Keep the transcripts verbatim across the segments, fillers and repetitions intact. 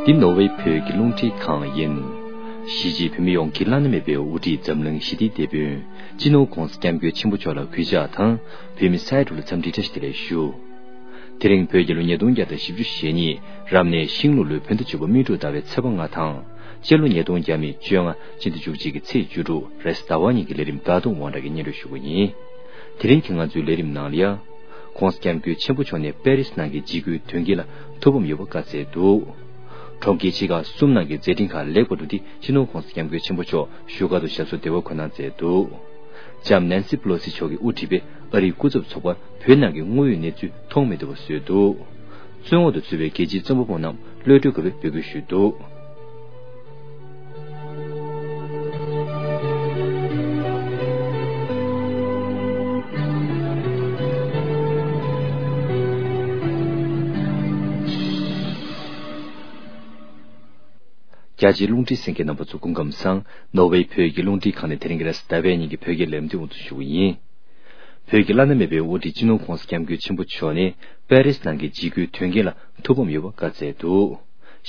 འདི་ནོར་ཝེ་བོད་ཀྱི་རླུང་འཕྲིན་ཁང་ཡིན། གཞིས་བྱེས་བོད་མི་ཡོངས་ཀྱི་བླ་ན་མེད་པའི་དབུ་ཁྲིད་འཛམ་གླིང་ཞི་བདེའི་དེད་དཔོན་སྤྱི་ནོར་༧གོང་ས་༧སྐྱབས་མགོན་ཆེན་པོ་མཆོག་ལ་གུས་ཕྱག་དང་། བོད་མི་ས་ཡ་དྲུག་ལ་འཚམས་འདྲི་བཀྲ་ཤིས་བདེ་ལེགས་ཞུ། དེ་རིང་བོད་རྒྱལ་ལོ་ཉིས་སྟོང་བརྒྱ་དང་བཞི་བཅུ་ཞེ་གཉིས་རབ་གནས་ཤིང་ལུག་ལོའི་བོད་ཟླ་བཅུ་པ་སྨིན་དྲུག་ཟླ་བའི་ཚེས་པ་ལྔ་དང་། སྤྱི་ལོ་ཉིས་སྟོང་བརྒྱ་མེད་བཅོ་ལྔ་སྤྱི་ཟླ་བཅུ་གཅིག་གི་ཚེས་བཅུ་དྲུག་རེས་གཟའ་ཟླ་བ་ཉིན་གྱི་ལས་རིམ་ཟླ་གདོང་དབང་གྲགས་ཀྱིས་སྙན་སྒྲོན་ཞུ་གི་ཡིན། དེ་རིང་གི་ང་ཚོའི་ལས་རིམ་ནང་ལ་ཡ། ྋགོང་ས་ྋསྐྱབས་མགོན་ཆེན་པོ་མཆོག་ནས་པེ་རིས་ནང་གི་འཇིགས་སྐུལ་དོན་རྐྱེན་ལ་ཐུགས་ཕམ་ཡོད་པ་བཀའ་སྩལ་འདུག་གྲོང་ཁྱེར་ཆེ་ཁག་གསུམ་ནང་གི་མཛད་འཕྲིན་ཁག་ལེགས་པར་གྲུབ་སྟེ་སྤྱི་ནོར་༧གོང་ས་༧སྐྱབས་མགོན་ཆེན་པོ་མཆོག་བཞུགས་སྒར་དུ་ཞབས་སོར་བདེ་བར་འཁོད་གནང་མཛད་འདུག་ལྕམ་ནན་སི་པེ་ལོ་སི་མཆོག་གིས་དབུ་ཁྲིད་པའི་ཨ་རིའི་སྐུ་ཚབ་ཚོགས་པར་བོད་ནང་གི་དངོས་ཡོད་གནས་ཚུལ་མཐོང་མི་ཐུབ་པ་བཟོས་འདུག་བཙོན་འོག་ཏུ་ཚུད་པའི་རྒྱལ་སྤྱིའི་རྩོམ་པ་པོ་རྣམས་གློད་གྲོལ་དགོས་པའི་འབོད་སྐུལ་ཞུས་འདུག་རྒྱ་ཆེའི་རླུང་འཕྲིན་གསན་མཁན་རྣམ་པ་ཚོ་སྐུ་ཁམས་བཟང་། ནོར་ཝེ་བོད་ཀྱི་རླུང་འཕྲིན་ཁང་ནས་དེ་རིང་གི་རེས་གཟའ་ཟླ་བའི་ཉིན་གྱི་བོད་སྐད་ལས་རིམ་དེ་འགོ་འཛུགས་ཞུ་གི་ཡིན། བོད་ཀྱི་བླ་ན་མེད་པའི་དབུ་ཁྲིད་སྤྱི་ནོར་༧གོང་ས་༧སྐྱབས་མགོན་ཆེན་པོ་མཆོག་ནས་པེ་རིས་ནང་གི་འཇིགས་སྐུལ་དོན་རྐྱེན་ལ་ཐུགས་ཕམ་ཡོད་པ་བཀའ་སྩལ་འདུག་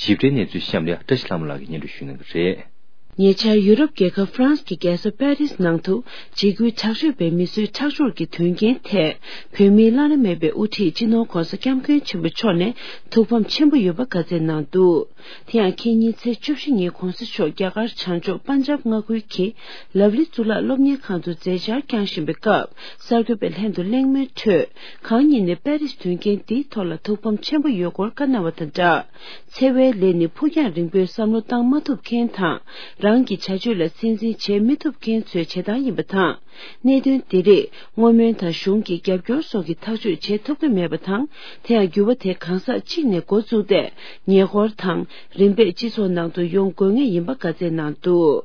ཞིབ་ཕྲའི་གནས་ཚུལ་གཤམ་ལ་བཀྲ་ཤིས་ལྷ་མོ་ལགས་ཀྱིས་སྙན་སྒྲོན་ཞུ་གནང་གི་རེད། ཉེ་ཆར་ཡུ་རོབ་རྒྱལ་ཁབ་ཧྥ་རན་སི་གི་རྒྱལ་ས་པེ་རིས་ནང་དུ་འཇིགས་སྐུལ་དྲག་སྤྱོད་པས་མི་གསོད་ཁྲག་སྦྱོར་གྱི་དོན་རྐྱེན་ཐད་བོད་མིའི་བླ་ན་མེད་པའི་དབུ་ཁྲིད་སྤྱི་ནོར་༧གོང་ས་༧སྐྱབས་མགོན་ཆེན་པོ་མཆོག་ནས་ཐུགས་ཕམ་ཆེན་པོ་ཡོད་པ་བཀའ་སྩལ་གནང་འདུག་དེ་ཡང་ཁེ་ཉིན་ཚེས་བཅུ་བཞི་ཉིན་༧གོང་ས་མཆོག་རྒྱ་གར་བྱང་ཕྱོགས་པན་ཇབ་མངའ་ཁུལ་གྱི་ལབ་ལི་གཙུག་ལག་སློབ་གཉེར་ཁང་དུ་མཛད་འཆར་བསྐྱངས་བཞིན་པའི་སྐབས་གསར་འགོད་པས་ལྷན་དུ་གླེང་མོལ་ཁྲོད་གང་ཉིད་ནས་པེ་རིས་དོན་རྐྱེན་འདིའི་ཐོག་ལ་ཐུགས་ཕམ་ཆེན་པོ་ཡོད་སྐོར་བཀའ་གནང་བ་དང་སྦྲགས། འཚེ་བའི་ལས་ནི་ཕུགས་རྒྱང་རིང་པོའི་བསམ་བློ་བཏང་མ་ཐུབ་མཁན་དང་རང་གི་བྱ་སྤྱོད་ལ་སྲིད་འཛིན་བྱེད་མི་ཐུབ་མཁན་ཚོའི་བྱེད་སྟངས་ཡིན་པ་དང་། གནད་དོན་འདི་རིགས་བསྔོ་སྨོན་དང་གཞུང་གི་རྒྱབ་སྐྱོར་སོགས་ཀྱིས་ཐག་གཅོད་བྱེད་ཐུབ་ཀྱི་མེད་པ་དང་། དེ་ཡང་འགྱུར་བ་དེ་གང་ཟག་གཅིག་ནས་འགོ་བཙུགས་ཏེ་ཉེ་འཁོར་དང་རིམ་པས་སྤྱི་ཚོགས་ནང་དུ་ཡོང་དགོས་ངེས་ཡིན་པ་བཀའ་སྩལ་གནང་འདུག་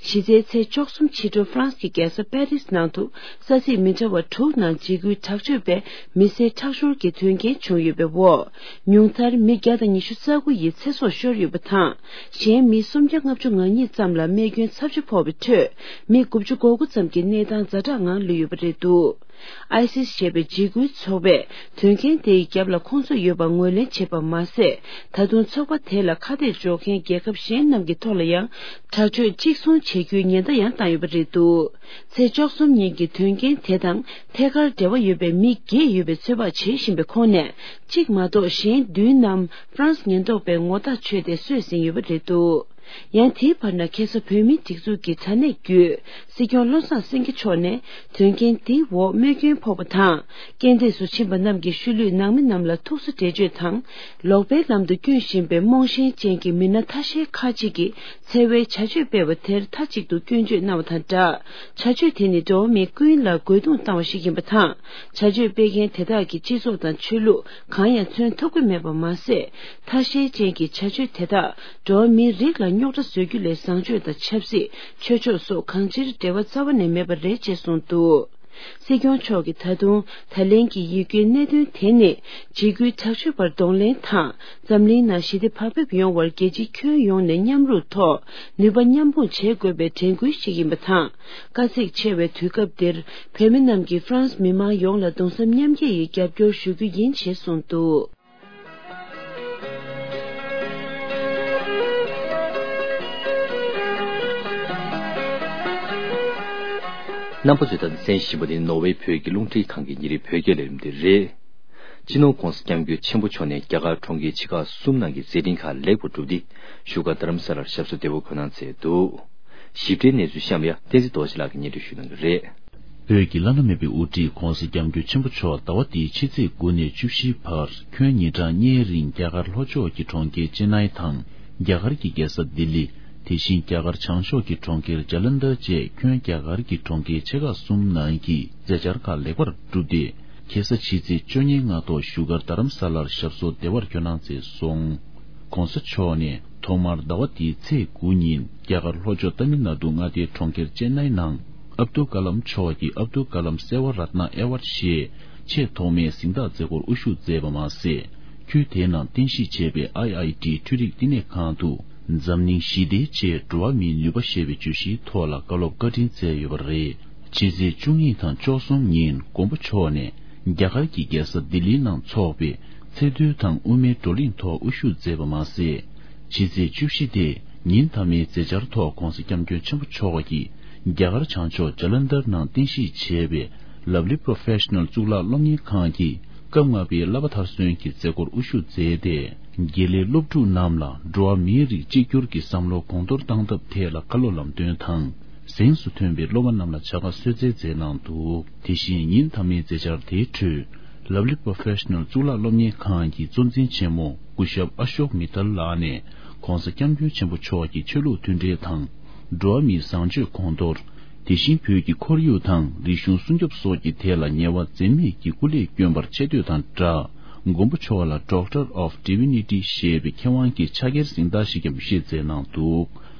གཞི་རྩའི་ཚེས་བཅུ་གསུམ་ཕྱི་དྲོ་ཧྥ་རན་སི་གི་རྒྱལ་ས་པེ་རིས་ནང་དུ་ས་ཚིགས་མི་འདྲ་བ་དྲུག་ནང་འཇིགས་སྐུལ་དྲག་སྤྱོད་པས་མི་བསད་ཁྲག་སྦྱོར་གྱི་དོན་རྐྱེན་བྱུང་ཡོད་པའི་འོག་ཉུང་མཐར་མི་བརྒྱ་དང་ཉི་ཤུ་རྩ་དགུ་ཡི་ཚེ་སྲོག་ཤོར་ཡོད་པ་དང་། གཞན་མི་སུམ་བརྒྱ་ལྔ་བཅུ་ང་གཉིས་ཙམ་ལ་རྨས་སྐྱོན་ཚབས་ཆེ་ཕོག་པའི་ཁྲོད། མི་དགུ་བཅུ་གོ་དགུ་ཙམ་གྱི་གནས་སྟངས་ཛ་དྲག་ངང་ལུས་ཡོད་པ་རེད་འདུག་ཨའི་སིས་ཞེས་པའི་འཇིགས་སྐུལ་ཚོགས་པས་དོན་རྐྱེན་དེ་ཡི་རྒྱབ་ལ་ཁོང་ཚོ་ཡོད་པ་ངོས་ལེན་བྱས་པ་མ་ཟད། ད་དུང་ཚོགས་པ་དེ་ལ་ཁ་གཏད་གཅོག་མཁན་རྒྱལ་ཁབ་གཞན་རྣམས་ཀྱི་ཐོག་ལ་ཡང་དྲག་སྤྱོད་གཅིག་མཚུངས་བྱེད་རྒྱུའི་ཉེན་བརྡ་ཡང་བཏང་ཡོད་པ་རེད་འདུག་ཚེས་བཅུ་གསུམ་ཉིན་གྱི་དོན་རྐྱེན་དེ་དང་ཐད་ཀར་འབྲེལ་བ་ཡོད་པའི་མི་བརྒྱད་ཡོད་པའི་ཚོད་དཔག་བྱེད་བཞིན་པའི་ཁོངས་ནས་གཅིག་མ་གཏོགས་གཞན་བདུན་རྣམས་ཧྥ་རན་སི་ཉེན་རྟོག་པས་ངོ་རྟགས་ཆོད་དེ་གསོད་ཟིན་ཡོད་པ་རེད་འདུག་ཡང་དེའི་བར་ན་ཁ་སང་བོད་མིའི་སྒྲིག་འཛུགས་ཀྱི་དྲ་གནས་བརྒྱུད་སྲིད་སྐྱོང་བློ་བཟང་སེང་གེ་མཆོག་ནས་དོན་རྐྱེན་འདིའི་འོག་རྨས་སྐྱོན་ཕོག་པ་དང་རྐྱེན་འདས་སུ་ཕྱིན་པ་རྣམས་ཀྱི་ཤུལ་ལུས་ནང་མི་རྣམས་ལ་ཐུགས་སུ་འགྲེལ་བརྗོད་དང་ལོག་པའི་ལམ་དུ་བསྐྱོད་བཞིན་པའི་རྨོངས་ཞེན་ཅན་གྱི་མི་སྣ་ཐ་ཤལ་ཁག་ཅིག་གིས་འཚེ་བའི་བྱ་སྤྱོད་སྤེལ་བ་དེར་མཐའ་གཅིག་ཏུ་སྐྱོན་བརྗོད་གནང་བ་དང་སྦྲགས། བྱ་སྤྱོད་དེ་ནི་འགྲོ་བ་མི་ཀུན་ལ་རྒོལ་རྡུང་བཏང་བ་ཞིག་ཡིན་པ་དང་། བྱ་སྤྱོད་སྤེལ་མཁན་དེ་དག་གིས་སྤྱི་ཚོགས་དང་ཆོས་ལུགས་གང་ཡང་མཚོན་ཐུབ་ཀྱི་མེད་པ་མ་ཟད། ཐ་ཤལ་ཅན་གྱི་བྱ་སྤྱོད་དེ་དག་འགྲོ་བ་མིའི་རིགས་ལ་རྙོག་དྲ་བཟོ་རྒྱུ་ལས་བཟང་སྤྱོད་དང་ཆབ་སྲིད། ཆོས་ཕྱོགས་སོགས་གང་ཅིར་འབྲེལ་བ་རྩ་བ་ནས་མེད་པ་རེད་ཅེས་གསུངས་འདུག་སྲིད་སྐྱོང་མཆོག་གིས་ད་དུང་ད་ལན་གྱི་ཡིད་སྐྱོའི་གནད་དོན་དེ་ནི་འཇིགས་སྐུལ་དྲག་སྤྱོད་པར་གདོང་ལེན་དང་འཛམ་གླིང་ནང་ཞི་བདེ་བག་ཕེབས་ཡོང་བར་རྒྱལ་སྤྱི་ཁྱོན་ཡོངས་ནས་མཉམ་རུབ་ཐོག་ནུས་པ་མཉམ་སྤུངས་བྱེད་དགོས་པའི་དྲན་སྐུལ་ཞིག་ཡིན་པ་དང་། དཀའ་ཚེགས་ཆེ་བའི་དུས་སྐབས་འདིར་བོད་མི་རྣམས་ཀྱིས་ཧྥ་རན་སི་མི་མང་ཡོངས་ལ་གདུང་སེམས་མཉམ་སྐྱེད་ཡི་རྒྱབ་སྐྱོར་ཞུ་རྒྱུ་ཡིན་ཞེས་གསུངས་འདུག་རྣམ་པ་ཚོས་ད་ལྟ་གསན་བཞིན་པ་ནི་ནོར་ཝེ་བོད་ཀྱི་རླུང་འཕྲིན་ཁང་གི་ཉིན་རེའི་བོད་སྐད་ལས་རིམ་དེ་རེད། སྤྱི་ནོར་༧གོང་ས་༧སྐྱབས་མགོན་ཆེན་པོ་མཆོག་ནས་རྒྱ་གར་གྲོང་ཁྱེར་ཆེ་ཁག་གསུམ་ནང་གི་མཛད་འཕྲིན་ཁག་ལེགས་པར་གྲུབ་སྟེ། བཞུགས་སྒར་རྡ་རམ་ས་ལར་ཞབས་སོར་བདེ་བར་འཁོད་གནང་མཛད་འདུག་ཞིབ་ཕྲའི་གནས་ཚུལ་གཤམ་ལ་ཡ་བསྟན་འཛིན་རྡོ་རྗེ་ལགས་ཀྱིས་སྙན་སྒྲོན་ཞུ་གནང་གི་རེད། བོད་ཀྱི་བླ་ན་མེད་པའི་དབུ་ཁྲིད་༧གོང་ས་༧སྐྱབས་མགོན་ཆེན་པོ་མཆོག་ཟླ་བ་འདིའི་ཕྱི་ཚེས་དགུ་ནས་བཅུ་བཞིའི་བར་ཁྱོན་ཉིན་གྲངས་ལྔའི་རིང་རྒྱ་གར་ལྷོ་ཕྱོགས་ཀྱི་གྲོང་ཁྱེར་ཅེན་ནའི་དང་། རྒྱ་གར་གྱི་རྒྱལ་ས་ལྡི་ལི། དེ་བཞིན་རྒྱ་གར་བྱང་ཕྱོགས་ཀྱི་གྲོང་ཁྱེར་ཇ་ལན་དར་བཅས་ཁྱོན་རྒྱ་གར་གྱི་གྲོང་ཁྱེར་ཆེ་ཁག་གསུམ་ནང་གི་མཛད་འཆར་ཁག་ལེགས་པར་གྲུབ་སྟེ། ཁ་སང་ཕྱི་ཚེས་བཅུ་གཉིས་སྔ་ཐོག་བཞུགས་སྒར་རྡ་རམ་ས་ལར་ཞབས་སོར་བདེ་བར་འཁོད་གནང་མཛད་སོང་། ྋགོང་ས་མཆོག་ནས་ཐོག་མར་ཟླ་བ་འདིའི་ཚེས་དགུ་ཉིན་རྒྱ་གར་ལྷོ་ཕྱོགས་ཏཱ་མིལ་ནཱ་ཌུ་མངའ་སྡེའི་གྲོང་ཁྱེར་ཅེན་ནའི་ནང་ཨབ་ཏུ་ཀ་ལམ་མཆོག་གི་ཨབ་ཏུ་ཀ་ལམ་སེ་ཝ་རཏྣ་ཨེ་ཝརཌ་ཞེས་ཆེས་ཐོག་མའི་གཟེངས་རྟགས་མཛད་སྒོར་དབུ་བཞུགས་མཛད་པ་མ་ཟད། ཁུལ་དེའི་ནང་རྟེན་གཞི་བྱས་པའི་ཨའི་ཨའི་ཊི་འཕྲུལ་རིག་བསྟི་གནས་ཁང་དུ་འཛམ་གླིང་ཞི་བདེའི་ཆེད་འགྲོ་བ་མིའི་ནུས་པ་ཞེས་པའི་བརྗོད་གཞིའི་ཐོག་ལ་བཀའ་སློབ་བཀའ་དྲིན་སྩལ་ཡོད་པ་རེད། ཕྱི་ཚེས་བཅུ་གཉིས་དང་བཅུ་གསུམ་ཉིན་མགོན་པོ་མཆོག་ནས་རྒྱ་གར་གྱི་རྒྱལ་ས་ལྡི་ལིའི་ནང་འཚོགས་པའི་ཚེ་འདུལ་དང་དབུ་མའི་བགྲོ་གླེང་ཐོག་དབུ་བཞུགས་མཛད་པ་མ་ཟད། ཕྱི་ཚེས་བཅུ་བཞི་སྟེ་ཉིན་མཐའ་མའི་མཛད་འཆར་ཐོག་༧གོང་ས་༧སྐྱབས་མགོན་ཆེན་པོ་མཆོག་གིས་རྒྱ་གར་བྱང་ཕྱོགས་ཇ་ལན་དར་ནང་རྟེན་གཞི་བྱས་པའི་Lovely Professional་གཙུག་ལག་སློབ་གཉེར་ཁང་གི་སྐབས་ལྔ་པའི་བསླབ་པ་མཐར་སོན་གྱི་མཛད་སྒོར་དབུ་བཞུགས་མཛད་དེ། དགེ་ལས་སློབ་ཕྲུག་རྣམས་ལ་འགྲོ་བ་མིའི་རིགས་གཅིག་གྱུར་གྱི་བསམ་བློ་གོང་མཐོར་གཏང་ཐབས་ཐད་ལ་བཀའ་སློབ་ལམ་སྟོན་དང་། གཟེངས་སུ་ཐོན་པའི་སློབ་མ་རྣམས་ལ་བྱ་དགའ་གསོལ་སྩལ་མཛད་གནང་འདུག་དེ་བཞིན་ཉིན་མཐའ་མའི་མཛད་འཆར་དེའི་ཁྲོད། Lovely Professional་གཙུག་ལག་སློབ་གཉེར་ཁང་གི་གཙོ་འཛིན་ཆེན་མོ་སྐུ་ཞབས་ཨ་ཤོག་མི་ཐལ་ལགས་ནས་༧གོང་ས་༧སྐྱབས་མགོན་ཆེན་པོ་མཆོག་གི་ཆོས་ལུགས་མཐུན་འབྲེལ་དང་། འགྲོ་བ་མིའི་བཟང་སྤྱོད་གོང་མཐོར། དེ་བཞིན་བོད་ཀྱི་ཁོར་ཡུག་དང་རིག་གཞུང་སྲུང་སྐྱོབ་སོགས་ཀྱི་ཐད་ལ་ཉེ་བ་འཛེམ་མེད་ཀྱི་སྐུ་ལས་བསྐྱོན་པར་ཆེ་བསྟོད་དང་སྦྲགས། མགོན་པོ་མཆོག་ལ་Doctor of Divinity་ཞེས་པའི་མཁས་དབང་གི་ཕྱག་འཁྱེར་གཟེངས་རྟགས་ཤིག་ཀྱང་བཞེས་མཛད་གནང་འདུག་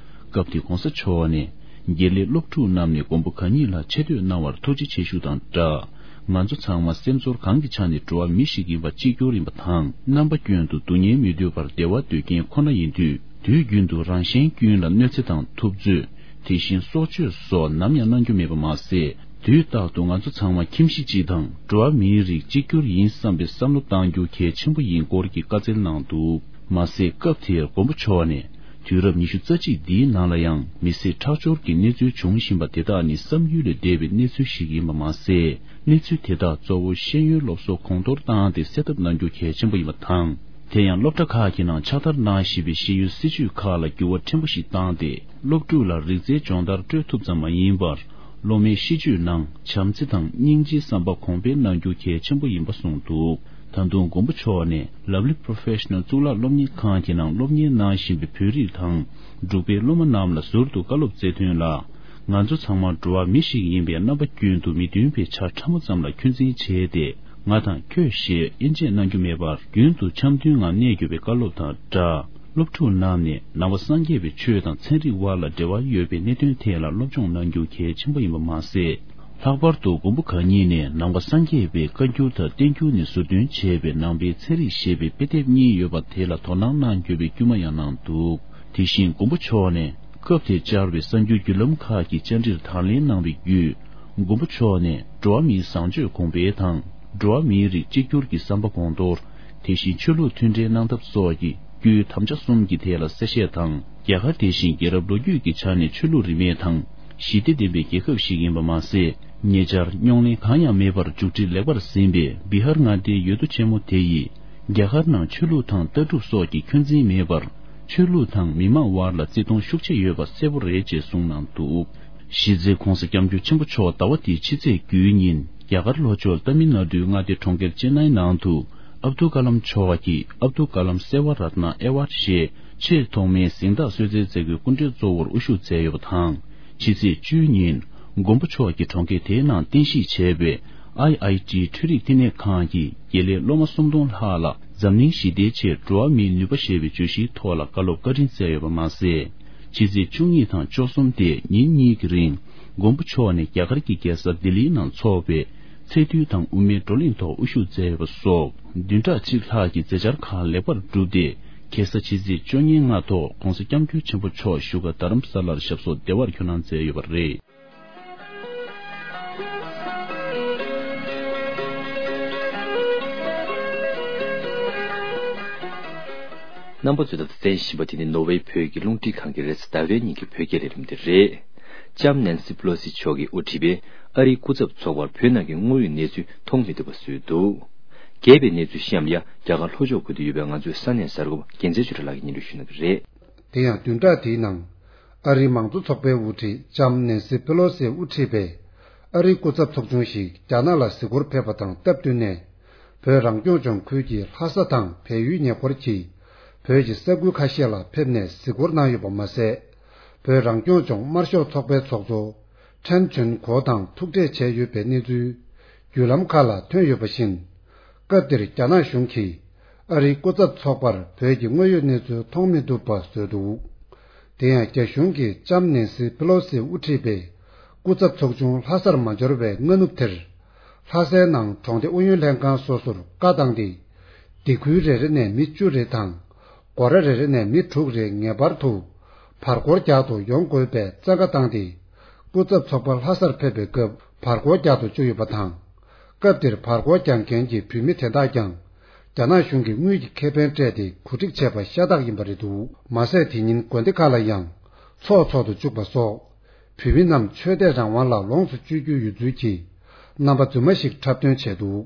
སྐབས་དེར་༧གོང་ས་མཆོག་ནས་དགེ་ལས་སློབ་ཕྲུག་རྣམས་ནས་མགོན་པོ་གང་ཉིད་ལ་ཆེ་བསྟོད་གནང་བར་ཐུགས་རྗེ་ཆེ་ཞུ་དང་སྦྲགས། ང་ཚོ་ཚང་མ་སེམས་ཚོར་གང་གི་ཆ་ནས་འགྲོ་བ་མི་ཞིག་ཡིན་པ་གཅིག་གྱུར་ཡིན་པ་དང་། རྣམ་པ་ཀུན་ཏུ་སྡུག་བསྔལ་མི་འདོད་པར་བདེ་བ་འདོད་མཁན་ཁོ་ན་ཡིན་དུས། དུས་རྒྱུན་དུ་རང་གཞན་ཀུན་ལ་གནོད་འཚེ་དང་ཐུབ་ཚོད། དེ་བཞིན་སྲོག་གཅོད་སོགས་ནམ་ཡང་གནང་རྒྱུ་མེད་པ་མ་ཟད། དུས་རྟག་ཏུ་ང་ཚོ་ཚང་མ་ཁྱིམ་གཞིས་གཅིག་དང་འགྲོ་བ་མིའི་རིགས་གཅིག་གྱུར་ཡིན་བསམ་པའི་བསམ་བློ་གཏང་རྒྱུ་གལ་ཆེན་པོ་ཡིན་སྐོར་གྱི་བཀའ་སྩལ་གནང་འདུག་མ་ཟད་སྐབས་དེར་མགོན་པོ་མཆོག་ནས་དུས་རབས་ཉི་ཤུ་རྩ་གཅིག་འདིའི་ནང་ལ་ཡང་མི་སེར་ཁྲག་སྦྱོར་གྱི་གནས་ཚུལ་འབྱུང་བཞིན་པ་དེ་དག་ནི་བསམ་ཡུལ་ལས་འདས་པའི་གནས་ཚུལ་ཞིག་ཡིན་པ་མ་ཟད། གནས་ཚུལ་དེ་དག་གཙོ་བོ་ཤེས་ཡོན་སློབ་གསོ་གོང་མཐོར་བཏང་སྟེ་སེལ་ཐབས་གནང་རྒྱུ་གལ་ཆེན་པོ་ཡིན་པ་དང་། དེ་ཡང་སློབ་གྲྭ་ཁག་གི་ནང་ཕྱག་བསྟར་གནང་བཞིན་པའི་ཤེས་ཡོན་སྲིད་བྱུས་ཁག་ལ་འགྱུར་བ་ཕྲན་བུ་ཞིག་བཏང་སྟེ། སློབ་ཕྲུག་ལ་རིག་རྩལ་སྦྱོང་བརྡར་སྤྲོད་ཐུབ་ཙམ་མ་ཡིན་པར། སློབ་མའི་གཤིས་སྤྱོད་ནང་བྱམས་བརྩེ་དང་སྙིང་རྗེའི་བསམ་པ་གོང་འཕེལ་གནང་རྒྱུ་གལ་ཆེན་པོ་ཡིན་པ་གསུངས་འདུག་ད་དུང་མགོན་པོ་མཆོག་ནས་Lovely Professional་གཙུག་ལག་སློབ་གཉེར་ཁང་གི་ནང་སློབ་གཉེར་གནང་བཞིན་པའི་བོད་རིགས་དང་འབྲུག་པའི་སློབ་མ་རྣམས་ལ་ཟུར་དུ་བཀའ་སློབ་སྩལ་དོན་ལ། ང་ཚོ་ཚང་མ་འགྲོ་བ་མི་ཞིག་ཡིན་པས་རྣམ་པ་ཀུན་ཏུ་མི་མཐུན་པའི་ཆ་ཕྲ་མོ་ཙམ་ལ་འཁོན་འཛིན་བྱས་ཏེ། ང་དང་ཁྱོད་ཞེས་དབྱེ་འབྱེད་གནང་རྒྱུ་མེད་པར་རྒྱུན་དུ་འཆམ་མཐུན་ངང་གནས་དགོས་པའི་བཀའ་སློབ་དང་སྦྲགས། སློབ་ཕྲུག་རྣམས་ནས་ནང་པ་སངས་རྒྱས་པའི་ཆོས་དང་ཚན་རིག་དབར་ལ་འབྲེལ་བ་ཡོད་པའི་གནད་དོན་ཐད་ལ་སློབ་སྦྱོང་གནང་རྒྱུ་གལ་ཆེན་པོ་ཡིན་པ་མ་ཟད། ལྷག་པར་དུ་མགོན་པོ་གང་ཉིད་ནས་ནང་པ་སངས་རྒྱས་པའི་བཀའ་འགྱུར་དང་བསྟན་འགྱུར་ནས་ཟུར་འདོན་བྱས་པའི་ནང་པའི་ཚན་རིག་ཞེས་པའི་དཔེ་དེབ་གཉིས་ཡོད་པ་དེ་ལ་དོ་སྣང་གནང་དགོས་པའི་སྐུལ་མ་ཡང་གནང་འདུག་དེ་བཞིན་མགོན་པོ་མཆོག་ནས་སྐབས་དེར་བཅར་བའི་གསར་འགྱུར་བརྒྱུད་ལམ་ཁག་གི་བཅར་འདྲིར་དང་ལེན་གནང་བའི་བརྒྱུད། མགོན་པོ་མཆོག་ནས་འགྲོ་བ་མིའི་བཟང་སྤྱོད་གོང་འཕེལ་དང་། འགྲོ་བ་མིའི་རིགས་གཅིག་གྱུར་གྱི་བསམ་པ་གོང་མཐོར། དེ་བཞིན་ཆོས་ལུགས་མཐུན་འབྲེལ་གནང་ཐབས་སོགས་ཀྱི་བརྒྱུད་དམ་བཅའ་གསུམ་གྱི་ཐད་ལ་གསལ་བཤད་དང་། རྒྱ་གར་དེ་བཞིན་རྒྱལ་རབས་ལོ་རྒྱུས་ཀྱི་ཆ་ནས་ཆོས་ལུགས་རིས་མེད་དང་ཞི་བདེ་ལྡན་པའི་རྒྱལ་ཁབ་ཞིག་ཡིན་པ་མ་ཟད། ཉེ་ཆར་རྙོག་གླེང་གང་ཡང་མེད་པར་མཇུག་སྒྲིལ་ལེགས་པར་ཟིན་པའི་བི་ཧར་མངའ་སྡེའི་ཡུལ་གྲུ་ཆེན་མོ་དེ་ཡིས། རྒྱ་གར་ནང་ཆོས་ལུགས་དང་ལྟ་གྲུབ་སོགས་ཀྱི་འཁོན་འཛིན་མེད་པར། ཆོས་ལུགས་དང་མི་མང་དབར་ལ་བརྩི་མཐོང་ཤུགས་ཆེ་ཡོད་པ་གསལ་པོ་རེད་ཅེས་གསུངས་གནང་འདུག་གཞི་རྩའི་༧གོང་ས་༧སྐྱབས་མགོན་ཆེན་པོ་མཆོག་ཟླ་བ་འདིའི་ཕྱི་ཚེས་དགུའི་ཉིན་རྒྱ་གར་ལྷོ་ཕྱོགས་ཏ་མིལ་ནཱ་ཌུའི་མངའ་སྡེ་གྲོང་ཁྱེར་ཅེན་ནའི་ནང་དུ་ཨབ་དུལ་ཀ་ལམ་མཆོག་གི་ཨབ་དུལ་ཀ་ལམ་སེ་ཝ་རཏ་ན་ཨེ་ཝར་ཌི་ཞེས་ཆེས་ཐོག་མའི་གཟེངས་རྟགས་གསོལ་སྩལ་མཛད་སྒོའི་སྐུ་མགྲོན་གཙོ་བོར་དབུ་བཞུགས་མཛད་ཡོད་པ་དང་། ཕྱི་ཚེས་བཅུའི་ཉིན་མགོན་པོ་མཆོག་གིས་གྲོང་ཁྱེར་དེའི་ནང་རྟེན་གཞི་བྱས་པའི་ཨའི་ཨའི་ཊི་འཕྲུལ་རིག་བསྟི་གནས་ཁང་གི་དགེ་ལས་སློབ་མ་སུམ་སྟོང་ལྷག་ལ་འཛམ་གླིང་ཞི་བདེའི་ཆེད་འགྲོ་བ་མིའི་ནུས་པ་ཞེས་པའི་བརྗོད་གཞིའི་ཐོག་ལ་བཀའ་སློབ་བཀའ་དྲིན་སྩལ་ཡོད་པ་མ་ཟད། ཕྱི་ཚེས་བཅུ་གཉིས་དང་བཅུ་གསུམ་སྟེ་ཉིན་གཉིས་ཀྱི་རིང་མགོན་པོ་མཆོག་ནས་རྒྱ་གར་གྱི་རྒྱལ་ས་ལྡི་ལིའི་ནང་འཚོགས་པའི་ཚེས་དུས་དང་དབུ་མའི་བགྲོ་གླེང་ཐོག་དབུ་བཞུགས་མཛད་ཡོད་པ་སོགས་བདུན་ཕྲག་གཅིག་ལྷག་གི་མཛད་འཆར་ཁག་ལེགས་པར་གྲུབ་སྟེ། ཁ་སང་ཕྱི་ཚེས་བཅོ་ལྔའི་སྔ་ཐོག་༧གོང་ས་༧སྐྱབས་མགོན་ཆེན་པོ་མཆོག་བཞུགས་སྒར་རྡ་རམ་ས་ལར་ཞབས་སོར་བདེ་བར་འཁོད་གནང་མཛད་ཡོད་པ་རེད། རྣམ་པ་ཚོས་ད་ལྟ་གསན་བཞིན་པ་དེ་ནི་ནོར་ཝེའི་བོད་ཀྱི་རླུང་འཕྲིན་ཁང་གི་རེས་གཟའ་ཟླ་བའི་ཉིན་གྱི་བོད་སྐད་ལས་རིམ་དེ་རེད། ལྕམ་ནན་སི་པེ་ལོ་སི་མཆོག་གིས་དབུ་ཁྲིད་པའི་ཨ་རིའི་སྐུ་ཚབ་ཚོགས་པར་བོད་ནང་གི་དངོས་ཡོད་གནས་ཚུལ་མཐོང་མི་ཐུབ་པ་བཟོས་འདུག་རྒྱས་པའི་གནས་ཚུལ་གཤམ་ལ་རྒྱ་གར་ལྷོ་ཕྱོགས་ཁུལ་དུ་ཡོད་པའི་ང་ཚོའི་ས་གནས་གསར་འགོད་པ་རྒྱལ་མཚན་ཆོས་གྲགས་ལགས་ཀྱིས་སྙན་སྒྲོན་ཞུ་གནང་གི་རེད། དེ་ཡང་བདུན་ཕྲག་འདིའི་ནང་། ཨ་རིའི་མང་གཙོ་ཚོགས་པའི་དབུ་ཁྲིད་ལྕམ་ནན་སི་པེ་ལོ་སི་དབུ་ཁྲིད་པའི་ཨ་རིའི་སྐུ་ཚབ་ཚོགས་ཆུང་ཞིག་རྒྱ་ནག་ལ་གཟིགས་སྐོར་ཕེབས་པ་དང་སྟབས་བསྟུན་ནས། བོད་རང་སྐྱོང་ལྗོངས་ཁུལ་གྱི་ལྷ་ས་དང་བལ་ཡུལ་ཉེ་འཁོར་གྱི་བོད་ཀྱི་ས་ཁུལ་ཁ་ཤས་ལ་ཕེབས་ནས་གཟིགས་སྐོར་གནང་ཡོད་པ་མ་ཟད། བོད་རང་སྐྱོང་ལྗོངས་དམར་ཤོག་ཚོགས་པའི་ཚོགས་གཙོ་ཁྲེན་ཆོན་གོ་དང་ཐུག་འཕྲད་བྱས་ཡོད་པའི་གནས་ཚུལ་བརྒྱུད་ལམ་ཁག་ལ་ཐོན་ཡོད་པ་བཞིན། སྐབས་དེར་རྒྱ་ནག་གཞུང་གིས་ཨ་རིའི་སྐུ་ཚབ་ཚོགས་པར་བོད་ཀྱི་དངོས་ཡོད་གནས་ཚུལ་མཐོང་མི་ཐུབ་པ་བཟོས་འདུག་དེ་ཡང་རྒྱ་གཞུང་གིས་ལྕམ་ནན་སི་པེ་ལོ་སི་དབུ་ཁྲིད་པའི་སྐུ་ཚབ་ཚོགས་ཆུང་ལྷ་སར་མ་འབྱོར་བའི་སྔ་ནུབ་དེར། ལྷ་སའི་ནང་གྲོང་སྡེ་ཨུ་ཡོན་ལྷན་ཁང་སོ་སོར་བཀའ་བཏང་སྟེ། སྡེ་ཁུལ་རེ་རེ་ནས་མི་བཅུ་རེ་དང་། སྒོ་ར་རེ་རེ་ནས་མི་དྲུག་རེ་ངེས་པར་དུ་བར་སྐོར་རྒྱག་ཏུ་ཡོང་དགོས་པའི་བཙན་བཀའ་བཏང་སྟེ། སྐུ་ཚབ་ཚོགས་པ་ལྷ་སར་ཕེབས་པའི་སྐབས་བར་སྐོར་རྒྱག་ཏུ་བཅུག་ཡོད་པ་དང་། སྐབས་དེར་བར་སྐོར་རྒྱག་མཁན་གྱི་བོད་མི་དེ་དག་ཀྱང་ རྒྱ་ནག་གཞུང་གིས་དངུལ་གྱི་ཁེ་ཕན་སྤྲད་དེ་གོ་སྒྲིག་བྱས་པ་ཤ་སྟག་ཡིན་པ་རེད་འདུག་མ་ཟད་དེ་ཉིན་དགོན་སྡེ་ཁག་ལ་ཡང་ཚོགས་འཚོག་ཏུ་བཅུག་པ་སོགས། བོད་མི་རྣམས་ཆོས་དད་རང་དབང་ལ་ལོངས་སུ་སྤྱོད་རྒྱུ་ཡོད་ཚུལ་གྱི་རྣམ་པ་རྫུན་མ་ཞིག་འཁྲབ་སྟོན་བྱས་འདུག་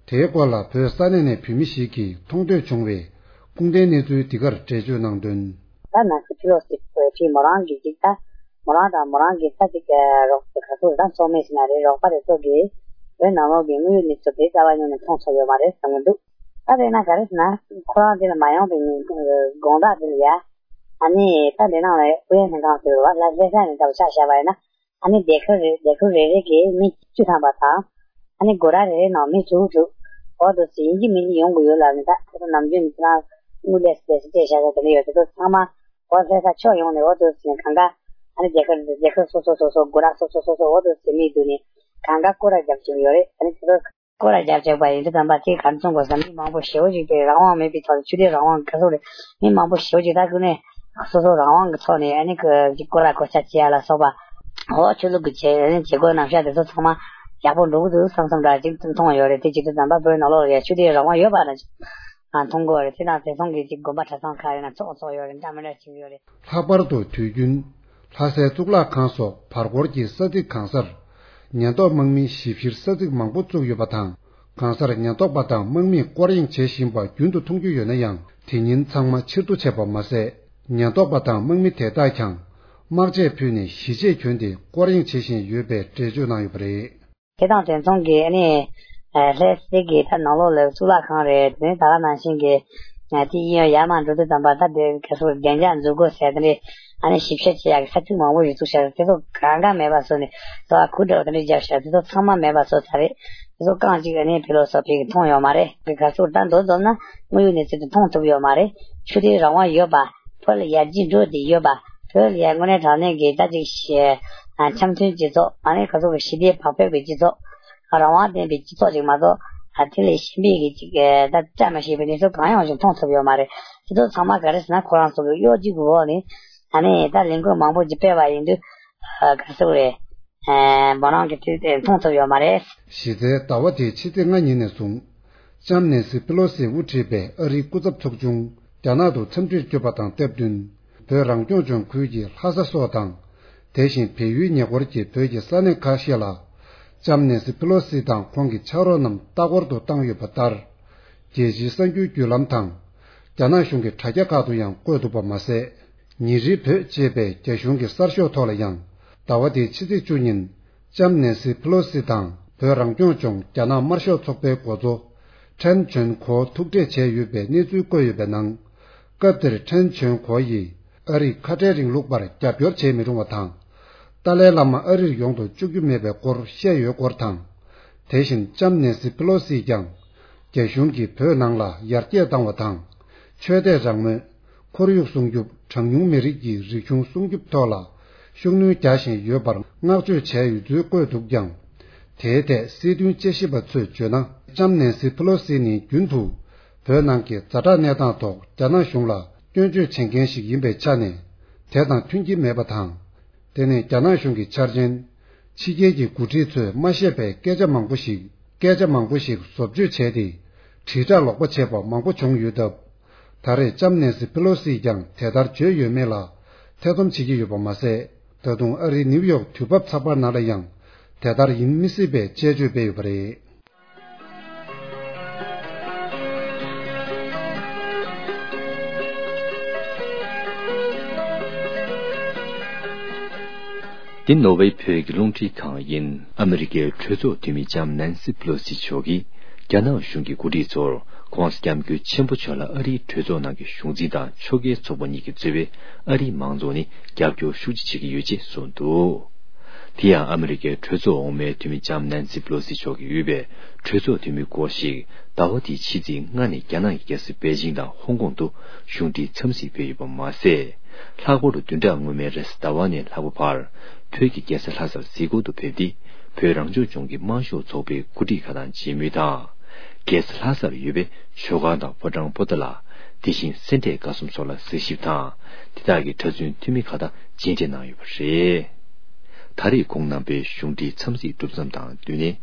དེའི་སྐོར་ལ་བོད་ས་གནས་ནས་བོད་མི་ཞིག་གིས་མཐོང་ཐོས་བྱུང་བའི་སྐུ་མདུན་གནས་ཚུལ་འདི་གར་འགྲེལ་བརྗོད་གནང་དོན། ད་ནང་སྲིད་ཕི་ལོ་སི་ཕི་མོ་རང་གི་ཅིག་ད་མོ་རང་དང་མོ་རང་གི་ད་ཅིག་རོགས་ག་ཚོད་ད་ཚོགས་མི་ཞིག་ན་རེད། རོགས་པ་རེ་ཚོ་གིས་བོད་ནང་ལོགས་ཀྱི་དངོས་ཡོད་གནས་ཚུལ་དེ་རྩ་བ་ཉིད་ནས་མཐོང་ཐུབ་ཡོད་མ་རེད་བསམ་གྱི་འདུག་ད་དེ་ན་ག་རེ་ཟེར་ན་ཁོ་རང་དེ་ལ་མ་ཡོང་པའི་ཉིན་དགོང་དག་དེ་ལ་ཡ། ཨ་ནི་ད་འདི་ནང་ལ་ཨུ་ཡོན་ལྷན་ཁང་ཟེར་བ་ལ་ལྷ་ས་ནས་ད་ཆ་བཞག་པ་ཡིན་ན། ཨ་ནི་སྡེ་ཁུལ་རེ་སྡེ་ཁུལ་རེ་རེ་གི་མི་བཅུ་ཐམ་པ་དང་། ཨ་ནི་སྒོ་ར་རེ་རེ་ནང་མི་དྲུག་དྲུག་འོ་དོ་ཟིན་གྱི་མི་འདི་ཡོང་དགོས་ཡོད་ལབ་ནས། ད་ཁོ་ཚོ་ནམ་རྒྱུན་ནས་ཁྱེད་རང་དངུལ་ལས་སུ་ལས་སུ་སྤྲད་བཞག་ས་དེ་འདྲ་ཡོད། དེ་ཚོ་ཚང་མ་འོ་ལྷ་ས་ཕྱོགས་ཡོངས་ནས་འོ་དོ་ཟིན་གང་ག་ཨ་ནི་སྡེ་ཁུལ་སྡེ་ཁུལ་སོ་སོ་སོ་སོ་སྒོ་ར་སོ་སོ་སོ་སོ་འོ་དོ་ཟིན་མི་འདུག་ནས་གང་ག་སྐོར་ར་རྒྱབ་བཅུག་ཡོད་རེད། ཨ་ནི་དེ་ཚོ་སྐོར་ར་རྒྱབ་བཅུག་པ་ཡིན་དུས་ཙམ་པ་དེ་ག་རེ་མཚོན་དགོས་ཟེར་ན། མི་མང་པོ་ཞེ་པོ་ཅིག་དེ་རང་དབང་མེད་པའི་ཐོག་ནས་ཆོས་དད་རང་དབང་ག་ཚོད་རེད། མི་མང་པོ་ཞེ་པོ་ཅིག་ད་ཁོ་ནས་སོ་སོ་རང་དབང་གི་ཐོག་ནས་ཨ་ནི་ཀོ་ར་གོ་ཆ་བྱེད་ཡ་ལ་སོགས་པ། འོ་ཆོས་ལུགས་ཀྱི་བྱེད་བྱེད་སྒོ་རྣམ་གཞག་དེ་ཚོ་ཚང་མ་ཡག་པོ་འགྲོ་གི་འདུག་བསམ་བསམ་འདྲ་ཅིག་མཐོང་ཡོད་རེད། དེ་བྱེད་དུས་ཙམ་པ་བོད་ནང་ལོགས་ལ་ཡ་ཆོས་དད་རང་དབང་ཡོད་པ་འདྲ་ཅིག་མཐོང་གི་ཡོད་རེད། དེ་དང་དེ་མཚུངས་ཀྱི་ཅིག་དགོན་པ་གྲྭ་ཚང་ཁག་ཡིན་ན་ཚོགས་ཚོགས་ཡོད་རེད། འདྲ་མི་འདྲ་བྱེད་ཀྱི་ཡོད་རེད། ལྷག་པར་དུ་དུས་རྒྱུན་ལྷ་སའི་གཙུག་ལག་ཁང་སོགས་བར་སྐོར་གྱི་ས་ཚིགས་གང་སར་ཉེན་རྟོག་དམག་མིའི་ཞིབ་བཤེར་ས་ཚིགས་མང་པོ་བཙུགས་ཡོད་པ་དང་། གང་སར་ཉེན་རྟོག་པ་དང་དམག་མིས་སྐོར་གཡེང་བྱེད་བཞིན་པ་རྒྱུན་དུ་མཐོང་རྒྱུ་ཡོད་ན་ཡང་། དེ་ཉིན་ཚང་མ་ཕྱིར་བསྡུ་བྱས་པ་མ་ཟད། ཉེན་རྟོག་པ་དང་དམག་མི་དེ་དག་ཀྱང་དམག་ཆས་ཕུད་ནས་གཞིས་བྱེས་གྱོན་ཏེ་སྐོར་གཡེང་བྱེད་བཞིན་ཡོད་པའི་འགྲེལ་བརྗོད་གནང་ཡོད་པ་རེད། དེ་དང་དེ་མཚུངས་ཀྱི་ཨ་ནི་ལྷ་སའི་གི་ད་ནང་ལོགས་ལ་གཙུག་ལག་ཁང་རེད། དེ་ནས་ད་ག་ནང་བཞིན་གྱི་དེ་གཡས་གཡོན་ཡར་མར་འགྲོ་དུས་ཙམ་པ་ད་དེ་ག་ཚོད་བདེ་འཇགས་འཛུགས་དགོས་ཟེར་དེ་འདྲའི་ཨ་ནི་ཞིབ་བཤེར་བྱེད་ཡག་གི་ས་ཚིགས་མང་པོ་ཞིག་བཙུགས་བཞག་དེ་ཚོ་གང་ག་མེད་པ་བཟོས་ནས་དེ་ཚོ་གུ་འདྲ་བ་དེ་འདྲ་བརྒྱབ་བཞག་དེ་ཚོ་ཚང་མ་མེད་པ་བཟོས་ཚར་རེད། དེ་ཚོ་རྐང་གཅིག་ཨ་ནི་ཕི་ལོ་སོ་ཕི་གི་མཐོང་ཡོད་མ་རེད། ག་ཚོད་ད་མདོར་བསྡོམས་ན་དངོས་ཡོད་གནས་ཚུལ་དེ་མཐོང་ཐུབ་ཡོད་མ་རེད། ཆོས་དད་རང་དབང་ཡོད་པ། བོད་ལ་ཡར་རྒྱས་འགྲོ་བསྡད་ཡོད་པ། བོད་ལ་ཡར་དངོས་གནས་དྲང་གནས་ཀྱི་ད་ཅིག་ཤེས་འཆམ་མཐུན་སྤྱི་ཚོགས་ཨ་ནི་ག་ཚོད་ཀྱི་ཞི་བདེ་བག་ཕེབས་ཀྱི་སྤྱི་ཚོགས། རང་དབང་ལྡན་པའི་སྤྱི་ཚོགས་ཅིག་མ་གཏོགས་ཨ་དེ་ལས་གཞན་པའི་གི་ཅིག་ད་བཀྲ་མ་ཤིས་པའི་གནས་ཚུལ་གང་ཡང་ཞིག་མཐོང་ཐུབ་ཡོད་མ་རེད། དེ་ཚོ་ཚང་མ་ག་རེ་ཟེར་ན་ཁོ་རང་ཚོ་གི་གཡོ་སྒྱུ་གི་འོག་ནས་ཨ་ནི་ད་ལས་འགུལ་མང་པོ་ཅིག་སྤེལ་བ་ཡིན་དུས་ག་ཚོད་རེད། འབོད་སྣང་གི་དུས་དེ་མཐོང་ཐུབ་ཡོད་མ་རེད། གཞི་རྩའི་ཟླ་བ་འདིའི་ཕྱི་ཚེས་ལྔ་ཉིན་ནས་བཟུང་། ལྕམ་ནེན་སི་པི་ལོ་སིས་དབུ་ཁྲིད་པའི་ཨ་རིའི་སྐུ་ཚབ་ཚོགས་ཆུང་རྒྱ་ནག་ཏུ་འཚམས་འདྲིར་བསྐྱོད་པ་དང་སྟབས་བསྟུན། བོད་རང་སྐྱོང་ལྗོངས་ཁུལ་གྱི་ལྷ་ས་སོགས་དང་། དེ་བཞིན་བལ་ཡུལ་ཉེ་འཁོར་གྱི་བོད་ཀྱི་ས་གནས་ཁ་ཤས་ལ། ལྕམ་ནེན་སི་པི་ལོ་སི་དང་ཁོང་གི་ཕྱག་རོགས་རྣམས་ལྟ་སྐོར་དུ་བཏང་ཡོད་པ་ལྟར། རྒྱལ་སྤྱིའི་གསར་འགྱུར་བརྒྱུད་ལམ་དང་། རྒྱ་ནག་གཞུང་གི་དྲ་རྒྱ་ཁག་ཏུ་ཡང་བཀོད་འདུག་པ་མ་ཟད། ཉིན་རེའི་བོད་ཅེས་པའི་རྒྱ་གཞུང་གི་གསར་ཤོག་ཐོག་ལ་ཡང་ཟླ་བ་འདིའི་ཕྱི་ཚེས་བཅུ་ཉིན་ལྕམ་ནེན་སི་ཕི་ལོ་སི་དང་བོད་རང་སྐྱོང་ལྗོངས་རྒྱ་ནག་དམར་ཤོག་ཚོགས་པའི་འགོ་གཙོ་ཁྲེན་ཆོན་གོ་ཐུག་འཕྲད་བྱས་ཡོད་པའི་གནས་ཚུལ་བཀོད་ཡོད་པའི་ནང་། སྐབས་དེར་ཁྲེན་ཆོན་གོ་ཡིས་ཨ་རིས་ཁ་བྲལ་རིང་ལུགས་པར་རྒྱབ་སྐྱོར་བྱེད་མི་རུང་བ་དང་། ཏཱ་ལའི་བླ་མ་ཨ་རིར་ཡོང་དུ་བཅུག་རྒྱུ་མེད་པའི་སྐོར་བཤད་ཡོད་སྐོར་དང་། དེ་བཞིན་ལྕམ་ནེན་སི་ཕི་ལོ་སིས་ཀྱང་རྒྱ་གཞུང་གིས་བོད་ནང་ལ་ཡར་རྒྱས་བཏང་བ་དང་། ཆོས་དད་རང་མོས། ཁོར་ཡུག་སྲུང་སྐྱོབ། གྲངས་ཉུང་མི་རིགས་ཀྱི་རིག་གཞུང་སྲུང་སྐྱོབ་ཐོག་ལ་ཤུགས་སྣོན་རྒྱག་བཞིན་ཡོད་པར་བསྔགས་བརྗོད་བྱས་ཡོད་ཚུལ་བཀོད་འདུག་ཀྱང་། དེའི་ཐད་སྲིད་དོན་དཔྱད་ཞིབ་པ་ཚོས་བརྗོད་ན། ལྕམ་ནེན་སི་ཕི་ལོ་སི་ནི་རྒྱུན་དུ་བོད་ནང་གི་ཛ་དྲག་གནས་སྟངས་ཐོག་རྒྱ་ནག་གཞུང་ལ་སྐྱོན་བརྗོད་བྱེད་མཁན་ཞིག་ཡིན་པའི་ཆ་ནས། དེ་དང་མཐུན་གྱི་མེད་པ་དང་། དེ་ནི་རྒྱ་ནག་གཞུང་གི་འཆར་ཅན། ཕྱི་རྒྱལ་གྱི་འགོ་ཁྲིད་ཚོས་མ་བཤད་པའི་སྐད་ཆ་མང་པོ་ཞིག་སྐད་ཆ་མང་པོ་ཞིག་བཟོ་བཅོས་བྱས་ཏེ། དྲིལ་བསྒྲགས་ལོག་པ་བྱས་པ་མང་པོ་བྱུང་ཡོད་སྟབས། ད་རེས་ལྕམ་ནེན་སི་ཕི་ལོ་སིས་ཀྱང་དེ་ལྟར་བརྗོད་ཡོད་མེད་ལ་ཐེ་ཚོམ་བྱེད་ཀྱི་ཡོད་པ་མ་ཟད། ད་དུང་ཨ་རིའི་ནིའུ་ཡོག་དུས་བབ་ཚགས་པར་ནང་ལ་ཡང་དེ་ལྟར་ཡིན་མི་སྲིད་པའི་དཔྱད་བརྗོད་སྤེལ་ཡོད་པ་རེད། འདི་ནོར་ཝེ་བོད་ཀྱི་རླུང་འཕྲིན་ཁང་ཡིན། ཨ་མི་རི་ཀའི་གྲོས་ཚོགས་འཐུས་མི་ལྕམ་ནན་སི་པི་ལོ་སི་མཆོག་གིས་རྒྱ་ནག་གཞུང་གི་འགོ་ཁྲིད་ཚོར་༸གོང་ས་༸སྐྱབས་མགོན་ཆེན་པོ་མཆོག་ལ་ཨ་རིའི་གྲོས་ཚོགས་ནང་གི་གཞུང་འཛིན་དང་ཕྱོགས་འགལ་ཚོགས་པ་གཉིས་ཀྱིས་གཙོས་པའི་ཨ་རིའི་མང་ཚོགས་ནས་རྒྱབ་སྐྱོར་ཤུགས་ཆེ་བྱེད་ཀྱི་ཡོད་ཅེས་གསུངས་འདུག་དེ་ཡང་ཨ་མི་རི་ཀའི་གྲོས་ཚོགས་འོག་མའི་འཐུས་མི་ལྕམ་ནན་སི་པི་ལོ་སི་མཆོག་གིས་དབུས་པའི་གྲོས་ཚོགས་འཐུས་མི་སྐོར་ཞིག་ཟླ་བ་འདིའི་ཕྱི་ཚེས་ལྔ་ནས་རྒྱ་ནག་གི་རྒྱལ་ས་པེ་ཅིང་དང་ཧོང་ཀོང་དུ་གཞུང་འབྲེལ་འཚམས་གཟིགས་ཕེབས་ཡོད་པ་མ་ཟད། ལྷག་པར་དུ་བདུན་ཕྲག་སྔོན་མའི་རེས་གཟའ་ཟླ་བ་ནས་ལྷག་པ་བར་བོད་ཀྱི་རྒྱལ་ས་ལྷ་སར་གཟིགས་སྐོར་དུ་ཕེབས་ཏེ། བོད་རང་སྐྱོང་ལྗོངས་ཀྱི་དམར་ཤོག་ཚོགས་པའི་འགོ་ཁྲིད་ཁག་དང་མཇལ་མུས་དང་། རྒྱལ་ས་ལྷ་སར་ཡོད་པའི་ཇོ་ཁང་དང་ཕོ་བྲང་པོ་ཏཱ་ལ། དེ་བཞིན་སེ་འབྲས་དགའ་གསུམ་སོགས་ལ་གཟིགས་ཞིབ་དང་། དེ་དག་གི་གྲྭ་བཙུན་འཐུས་མི་ཁག་དང་མཇལ་འཕྲད་གནང་ཡོད་པ་རེད། ད་རེས་ཁོང་རྣམ་པའི་གཞུང་འབྲེལ་འཚམས་གཟིགས་གྲུབ་མཚམས་དང་བསྟུན་ནས།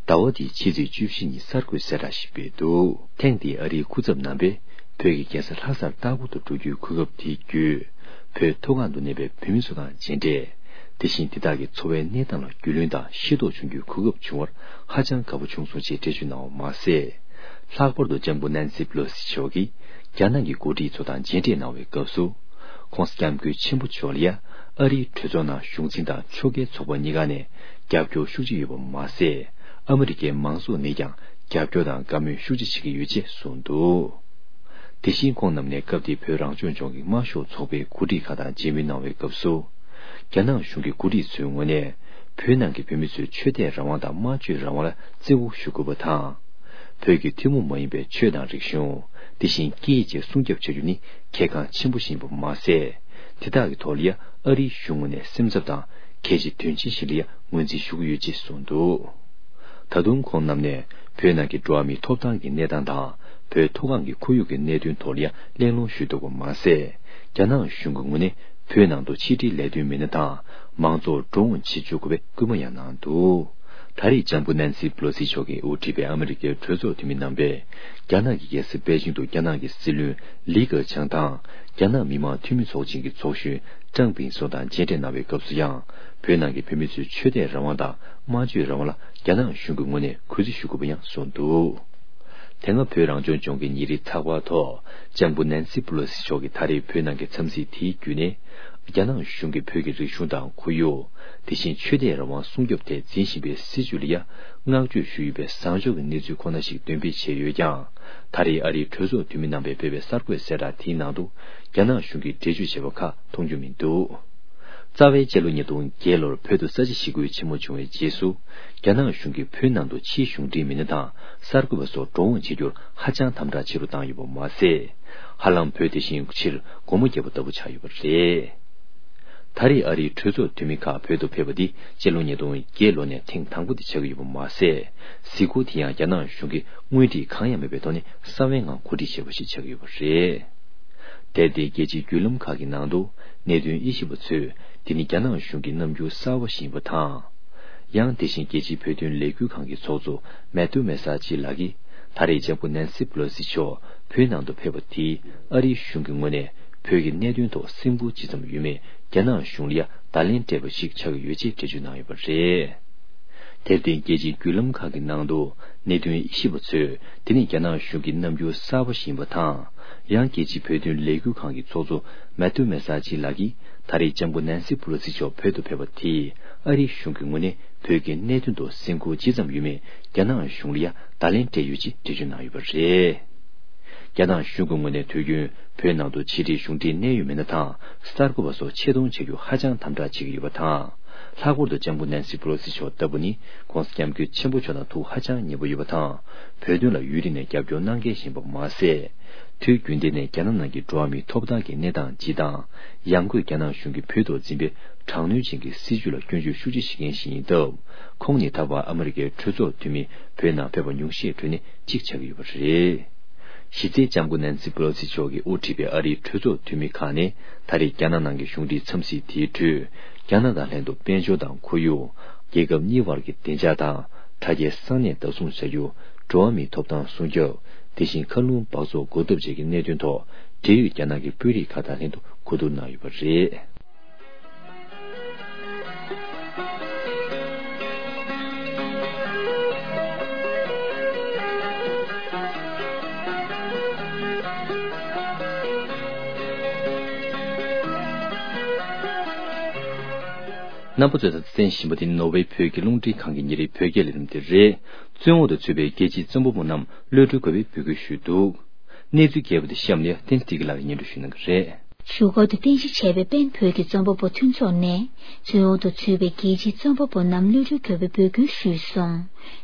ཟླ་བ་འདིའི་ཕྱི་ཚེས་བཅུ་བཞི་ཉིན་གསར་འགོད་གསལ་བསྒྲགས་ཤིག་སྤེལ་འདུག་ཐེངས་འདིའི་ཨ་རིའི་སྐུ་ཚབ་རྣམ་པས་བོད་ཀྱི་རྒྱལ་ས་ལྷ་སར་ལྟ་སྐོར་དུ་འགྲོ་རྒྱུའི་གོ་སྐབས་དེ་བརྒྱུད། བོད་མཐོ་སྒང་དུ་གནས་པའི་བོད་མི་ཚོ་དང་མཇལ་འཕྲད། དེ་བཞིན་དེ་དག་གི་འཚོ་བའི་གནས་སྟངས་ལ་རྒྱུས་ལོན་དང་ཤེས་རྟོགས་བྱུང་རྒྱུའི་གོ་སྐབས་བྱུང་བར་ཧ་ཅང་དགའ་པོ་བྱུང་སོང་ཞེས་འགྲེལ་བརྗོད་གནང་བ་མ་ཟད། ལྷག་པར་དུ་ལྕམ་སྐུ་ནན་སི་པེ་ལོ་སི་མཆོག་གིས་རྒྱ་ནག་གི་འགོ་ཁྲིད་ཚོ་དང་མཇལ་འཕྲད་གནང་བའི་སྐབས་སུ། ྋགོང་ས་ྋསྐྱབས་མགོན་ཆེན་པོ་མཆོག་ལ་ཡ་ཨ་རིའི་གྲོས་ཚོགས་ནང་གཞུང་འཛིན་དང་ཕྱོགས་འགལ་ཚོགས་པ་གཉིས་ཀ་ནས་རྒྱབ་སྐྱོར་ཤུགས་ཆེ་ཡོད་པ་མ་ཟད། ཨ་མི་རི་ཀའི་མང་ཚོགས་ནས་ཀྱང་རྒྱབ་སྐྱོར་དང་བཀའ་མོལ་ཤུགས་ཆེ་བྱེད་ཀྱི་ཡོད་ཅེས་གསུངས་འདུག་དེ་བཞིན་ཁོང་རྣམས་ནས་སྐབས་དེའི་བོད་རང་སྐྱོང་ལྗོངས་ཀྱི་དམར་ཤོག་ཚོགས་པའི་འགོ་ཁྲིད་ཁག་དང་མཇལ་མོལ་གནང་བའི་སྐབས་སུ། རྒྱ་ནག་གཞུང་གི་འགོ་ཁྲིད་ཚོའི་ངོས་ནས། བོད་ནང་གི་བོད་མི་ཚོའི་ཆོས་དད་རང་དབང་དང་སྨྲ་བརྗོད་རང་དབང་ལ་བརྩི་བཀུར་ཞུ་དགོས་པ་དང་། བོད་ཀྱི་ཐུན་མོང་མ་ཡིན་པའི་ཆོས་དང་རིག་གཞུང་། དེ་བཞིན་སྐད་ཡིག་བཅས་སྲུང་སྐྱོབ་བྱ་རྒྱུ་ནི་གལ་འགངས་ཆེན་པོ་ཞིག་ཡིན་པ་མ་ཟད། དེ་དག་གི་ཐོག་ལ་ཡ་ཨ་རིའི་གཞུང་ངོས་ནས་སེམས་འཚབ་དང་གལ་ཆེ་དོན་ཆེན་ཞིག་ལ་ཡ་ངོས་འཛིན་ཞུ་གི་ཡོད་ཅེས་གསུངས་འདུག་ད་དུང་ཁོང་རྣམས་ནས་བོད་ནང་གི་འགྲོ་བ་མིའི་ཐོབ་ཐང་གི་གནས་སྟངས་དང་བོད་མཐོ་སྒང་གི་ཁོར་ཡུག་གི་གནད་དོན་ཐོག་ལ་ཡ་གླེང་སློང་ཞུས་འདུག་པ་མ་ཟད། རྒྱ་ནག་གཞུང་གི་ངོས་ནས་བོད་ནང་དུ་ཕྱི་འབྲེལ་ལས་དོན་མི་སྣ་དང་མང་ཚོགས་འགྲོ་འོང་བྱེད་བཅུག་དགོས་པའི་སྐུལ་མ་ཡང་གནང་འདུག་ད་རེས་ལྕམ་སྐུ་ནན་སི་པེ་ལོ་སི་མཆོག་གིས་དབུ་ཁྲིད་པའི་ཨ་མི་རི་ཀའི་གྲོས་ཚོགས་འཐུས་མི་རྣམ་པས་རྒྱ་ནག་གི་རྒྱལ་ས་པེ་ཅིང་དུ་རྒྱ་ནག་གི་སྲིད་བློན་ལི་ཁེ་ཆང་དང་རྒྱ་ནག་མི་དམངས་འཐུས་མི་ཚོགས་ཆེན་གྱི་ཚོགས་གཞོན་ཀྲང་ཕིང་སོགས་དང་མཇལ་འཕྲད་གནང་བའི་སྐབས་སུ་ཡང་བོད་ནང་གི་བོད་མི་ཚོའི་ཆོས་དད་རང་དབང་དང་སྨྲ་བརྗོད་རང་དབང་ལ་རྒྱ་ནག་གཞུང་གི་ངོས་ནས་གུས་བརྩི་ཞུ་དགོས་པ་ཡང་གསུངས་འདུག་དེ་སྔ་བོད་རང་སྐྱོང་ལྗོངས་ཀྱི་ཉིན་རེའི་ཚགས་པར་ཐོག་ལྕམ་སྐུ་ནན་སི་པེ་ལོ་སི་མཆོག་གིས་ད་རེས་བོད་ནང་གི་འཚམས་གཟིགས་དེའི་བརྒྱུད་ནས། རྒྱ་ནག་གཞུང་གིས་བོད་ཀྱི་རིག་གཞུང་དང་ཁོར་ཡུག་དེ་བཞིན་ཆོས་དད་རང་དབང་སྲུང་སྐྱོབ་ཐད་འཛིན་བཞིན་པའི་སྲིད་བྱུས་ལ་ཡ་བསྔགས་བརྗོད་ཞུས་ཡོད་པའི་བཟང་ཕྱོགས་ཀྱི་གནས་ཚུལ་ཁོ་ན་ཞིག་འདོན་སྤེལ་བྱས་ཡོད་ཀྱང་། ད་རེས་ཨ་རིའི་གྲོས་ཚོགས་འཐུས་མི་རྣམ་པས་སྤེལ་བའི་གསར་འགོད་གསལ་བསྒྲགས་དེའི་ནང་དུ་རྒྱ་ནག་གཞུང་གིས་འགྲེལ་བརྗོད་བྱས་པ་ཁག་མཐོང་རྒྱུ་མི་འདུག་རྩ་བའི་སྤྱི་ལོ་ཉིས་སྟོང་བརྒྱད་ལོར་བོད་དུ་ས་བྱི་ཞི་རྒོལ་ཆེན་མོ་བྱུང་བའི་རྗེས་སུ། རྒྱ་ནག་གཞུང་གིས་བོད་ནང་དུ་ཕྱིའི་གཞུང་འབྲེལ་མི་སྣ་དང་གསར་འགོད་པ་སོགས་འགྲོ་འོང་བྱེད་རྒྱུར་ཧ་ཅང་དམ་དྲག་ཆེ་རུ་བཏང་ཡོད་པ་མ་ཟད། ཧ་ལམ་བོད་དེ་བཞིན་ཕྱིར་སྒོ་མོ་བརྒྱབ་པ་ལྟ་བུ་ཆགས་ཡོད་པ་རེད། ད་རེས་ཨ་རིའི་གྲོས་ཚོགས་འཐུས་མི་ཁག་བོད་དུ་ཕེབས་པ་འདི་སྤྱི་ལོ་ཉིས་སྟོང་བརྒྱད་ལོ་ནས་ཐེངས་དང་པོ་དེ་ཆགས་ཀྱི་ཡོད་པ་མ་ཟད། གཟིགས་སྐོར་དེ་ཡང་རྒྱ་ནག་གཞུང་གིས་དངོས་བྲིས་གང་ཡང་མེད་པའི་ཐོག་ནས་གསང་བའི་ངང་གོ་སྒྲིག་བྱས་པ་ཞིག་ཆགས་ཀྱི་ཡོད་པ་རེད། དེར་བརྟེན་རྒྱལ་སྤྱིའི་བརྒྱུད་ལམ་ཁག་གི་ནང་དུ་གནད་དོན་དབྱེ་ཞིབ་པ་ཚོས་འདི་ནི་རྒྱ་ནག་གཞུང་གི་རྣམ་འགྱུར་གསར་བ་ཞིག་ཡིན་པ་དང་། ཡང་དེ་བཞིན་རྒྱལ་སྤྱིའི་བོད་དོན་ལས་འགུལ་ཁང་གི་ཚོགས་གཙོ་མེ་ཏུ་མེ་ས་ཅི་ལགས་ཀྱིས་ད་རེས་ལྕམ་སྐུ་ནན་སི་པེ་ལོ་སི་མཆོག་བོད་ནང་དུ་ཕེབས་པ་དེས་ཨ་རིའི་གཞུང་གི་ངོས་ནས་བོད་ཀྱི་གནད་དོན་ཐོག་སེམས་ཁུར་ཇི་ཙམ་ཡོད་མེད་རྒྱ་ནག་གཞུང་ལ་ཡ་བརྡ་ལན་སྤྲད་པ་ཞིག་ཆགས་ཀྱི་ཡོད་ཅེས་འགྲེལ་བརྗོད་གནང་ཡོད་པ་རེད། དེར་བརྟེན་རྒྱལ་སྤྱིའི་བརྒྱུད་ལམ་ཁག་གི་ནང་དུ་གནད་དོན་དབྱེ་ཞིབ་པ་ཚོས་དེ་ནི་རྒྱ་ནག་གཞུང་གི་རྣམ་འགྱུར་གསར་པ་ཞིག་ཡིན་པ་དང་། ཡང་རྒྱལ་སྤྱིའི་བོད་དོན་ལས་འགུལ་ཁང་གི་ཚོགས་གཙོ་མེ་ཏུ་མེ་ས་ཅི་ལགས་ཀྱིས་ད་རེས་ལྕམ་སྐུ་ནན་སི་པེ་ལོ་སི་མཆོག་བོད་དུ་ཕེབས་པ་དེས་ཨ་རིའི་གཞུང་གི་ངོས་ནས་བོད་ཀྱི་གནད་དོན་ཐོག་སེམས་ཁུར་ཇི་ཙམ་ཡོད་མེད་རྒྱ་ནག་གཞུང་ལ་ཡ་བརྡ་ལན་སྤྲད་ཡོད་ཅེས་འགྲེལ་བརྗོད་གནང་ཡོད་པ་རེད། རྒྱ་ནག་གཞུང་གི་ངོས་ནས་དུས་རྒྱུན་བོད་ནང་དུ་ཕྱི་འབྲེལ་གཞུང་འབྲེལ་གནད་ཡོད་མི་སྣ་དང་གསར་འགོད་པ་སོགས་ཆེད་གཏོང་བྱ་རྒྱུ་ཧ་ཅང་དམ་དྲག་བྱེད་ཀྱི་ཡོད་པ་དང་། ལྷག་པར་དུ་ལྕམ་སྐུ་ནན་སི་པེ་ལོ་སི་མཆོག་ལྟ་བུ་ནི་ྋགོང་ས་ྋསྐྱབས་མགོན་ཆེན་པོ་མཆོག་དང་ཐུགས་ཧ་ཅང་མཉེས་པོ་ཡོད་པ་དང་། བོད་དོན་ལ་ཡུན་རིང་ནས་རྒྱབ་སྐྱོར་གནང་མཁན་ཞིག་ཡིན་པ་མ་ཟད། དུས་རྒྱུན་ལྡན་ནས་རྒྱ་ནག་ནང་གི་འགྲོ་བ་མིའི་ཐོབ་ཐང་གི་གནས་སྟངས་སྤྱི་དང་། ཡང་སྒོས་རྒྱ་ནག་གཞུང་གིས་བོད་ཐོག་འཛིན་པའི་དྲག་གནོན་ཅན་གྱི་སྲིད་བྱུས་ལ་སྐྱོན་བརྗོད་ཤུགས་ཆེ་བྱེད་མཁན་ཞིག་ཡིན་སྟབས། ཁོང་ནི་ད་བར་ཨ་མི་རི་ཀའི་གྲོས་ཚོགས་འཐུས་མི་བོད་ནང་ཕེབས་པ་ཉུང་ཤས་གྲས་ནས་གཅིག་ཆགས་ཀྱི་ཡོད་པ་རེད། གཞི་རྩའི་ལྕམ་སྐུ་ནན་སི་པེ་ལོ་སི་མཆོག་གིས་དབུ་ཁྲིད་པའི་ཨ་རིའི་གྲོས་ཚོགས་འཐུས་མི་ཁག་ནས་ད་རེས་རྒྱ་ནག་ནང་གི་གཞུང་འབྲེལ་འཚམས་གཟིགས་དེའི་ཁྲོད། རྒྱ་ནག་དང་ལྷན་དུ་དཔལ་འབྱོར་དང་ཁོར་ཡུག་རྒྱལ་ཁབ་གཉིས་བར་གྱི་བདེ་འཇགས་དང་དྲ་རྒྱའི་གསང་གནས་བདག་བཟུང་བྱ་རྒྱུ། འགྲོ་བ་མིའི་ཐོབ་ཐང་སྲུང་སྐྱོབ། དེ་བཞིན་མཁའ་རླུང་འབག་བཙོག་འགོག་ཐབས་བཅས་ཀྱི་གནད་དོན་ཐོག་འབྲེལ་ཡོད་རྒྱ་ནག་གི་དཔོན་རིགས་ཁག་དང་ལྷན་དུ་གོ་བསྡུར་གནང་ཡོད་པ་རེད། རྣམ་པ་ཚོས་ད་ལྟ་གསན་བཞིན་པ་དེ་ནི་ནོར་ཝེ་བོད་ཀྱི་རླུང་འཕྲིན་ཁང་གི་ཉིན་རེའི་བོད་སྐད་ལས་རིམ་དེ་རེད། བཙོན་འོག་ཏུ་ཚུད་པའི་རྒྱལ་སྤྱིའི་རྩོམ་པ་པོ་རྣམས་གློད་གྲོལ་དགོས་པའི་འབོད་སྐུལ་ཞུས་འདུག་གནས་ཚུལ་རྒྱས་པ་དེ་གཤམ་ནས་བསྟན་འཛིན་སྐྱིད་ལགས་ཀྱིས་སྙན་སྒྲོན་ཞུ་གནང་གི་རེད། བཞུགས་སྒར་དུ་རྟེན་གཞི་བྱས་པའི་པེན་བོད་ཀྱི་རྩོམ་པ་པོ་མཐུན་ཚོགས་ནས། བཙོན་འོག་ཏུ་ཚུད་པའི་རྒྱལ་སྤྱིའི་རྩོམ་པ་པོ་རྣམས་གློད་གྲོལ་དགོས་པའི་འབོད་སྐུལ་ཞུས་སོང་།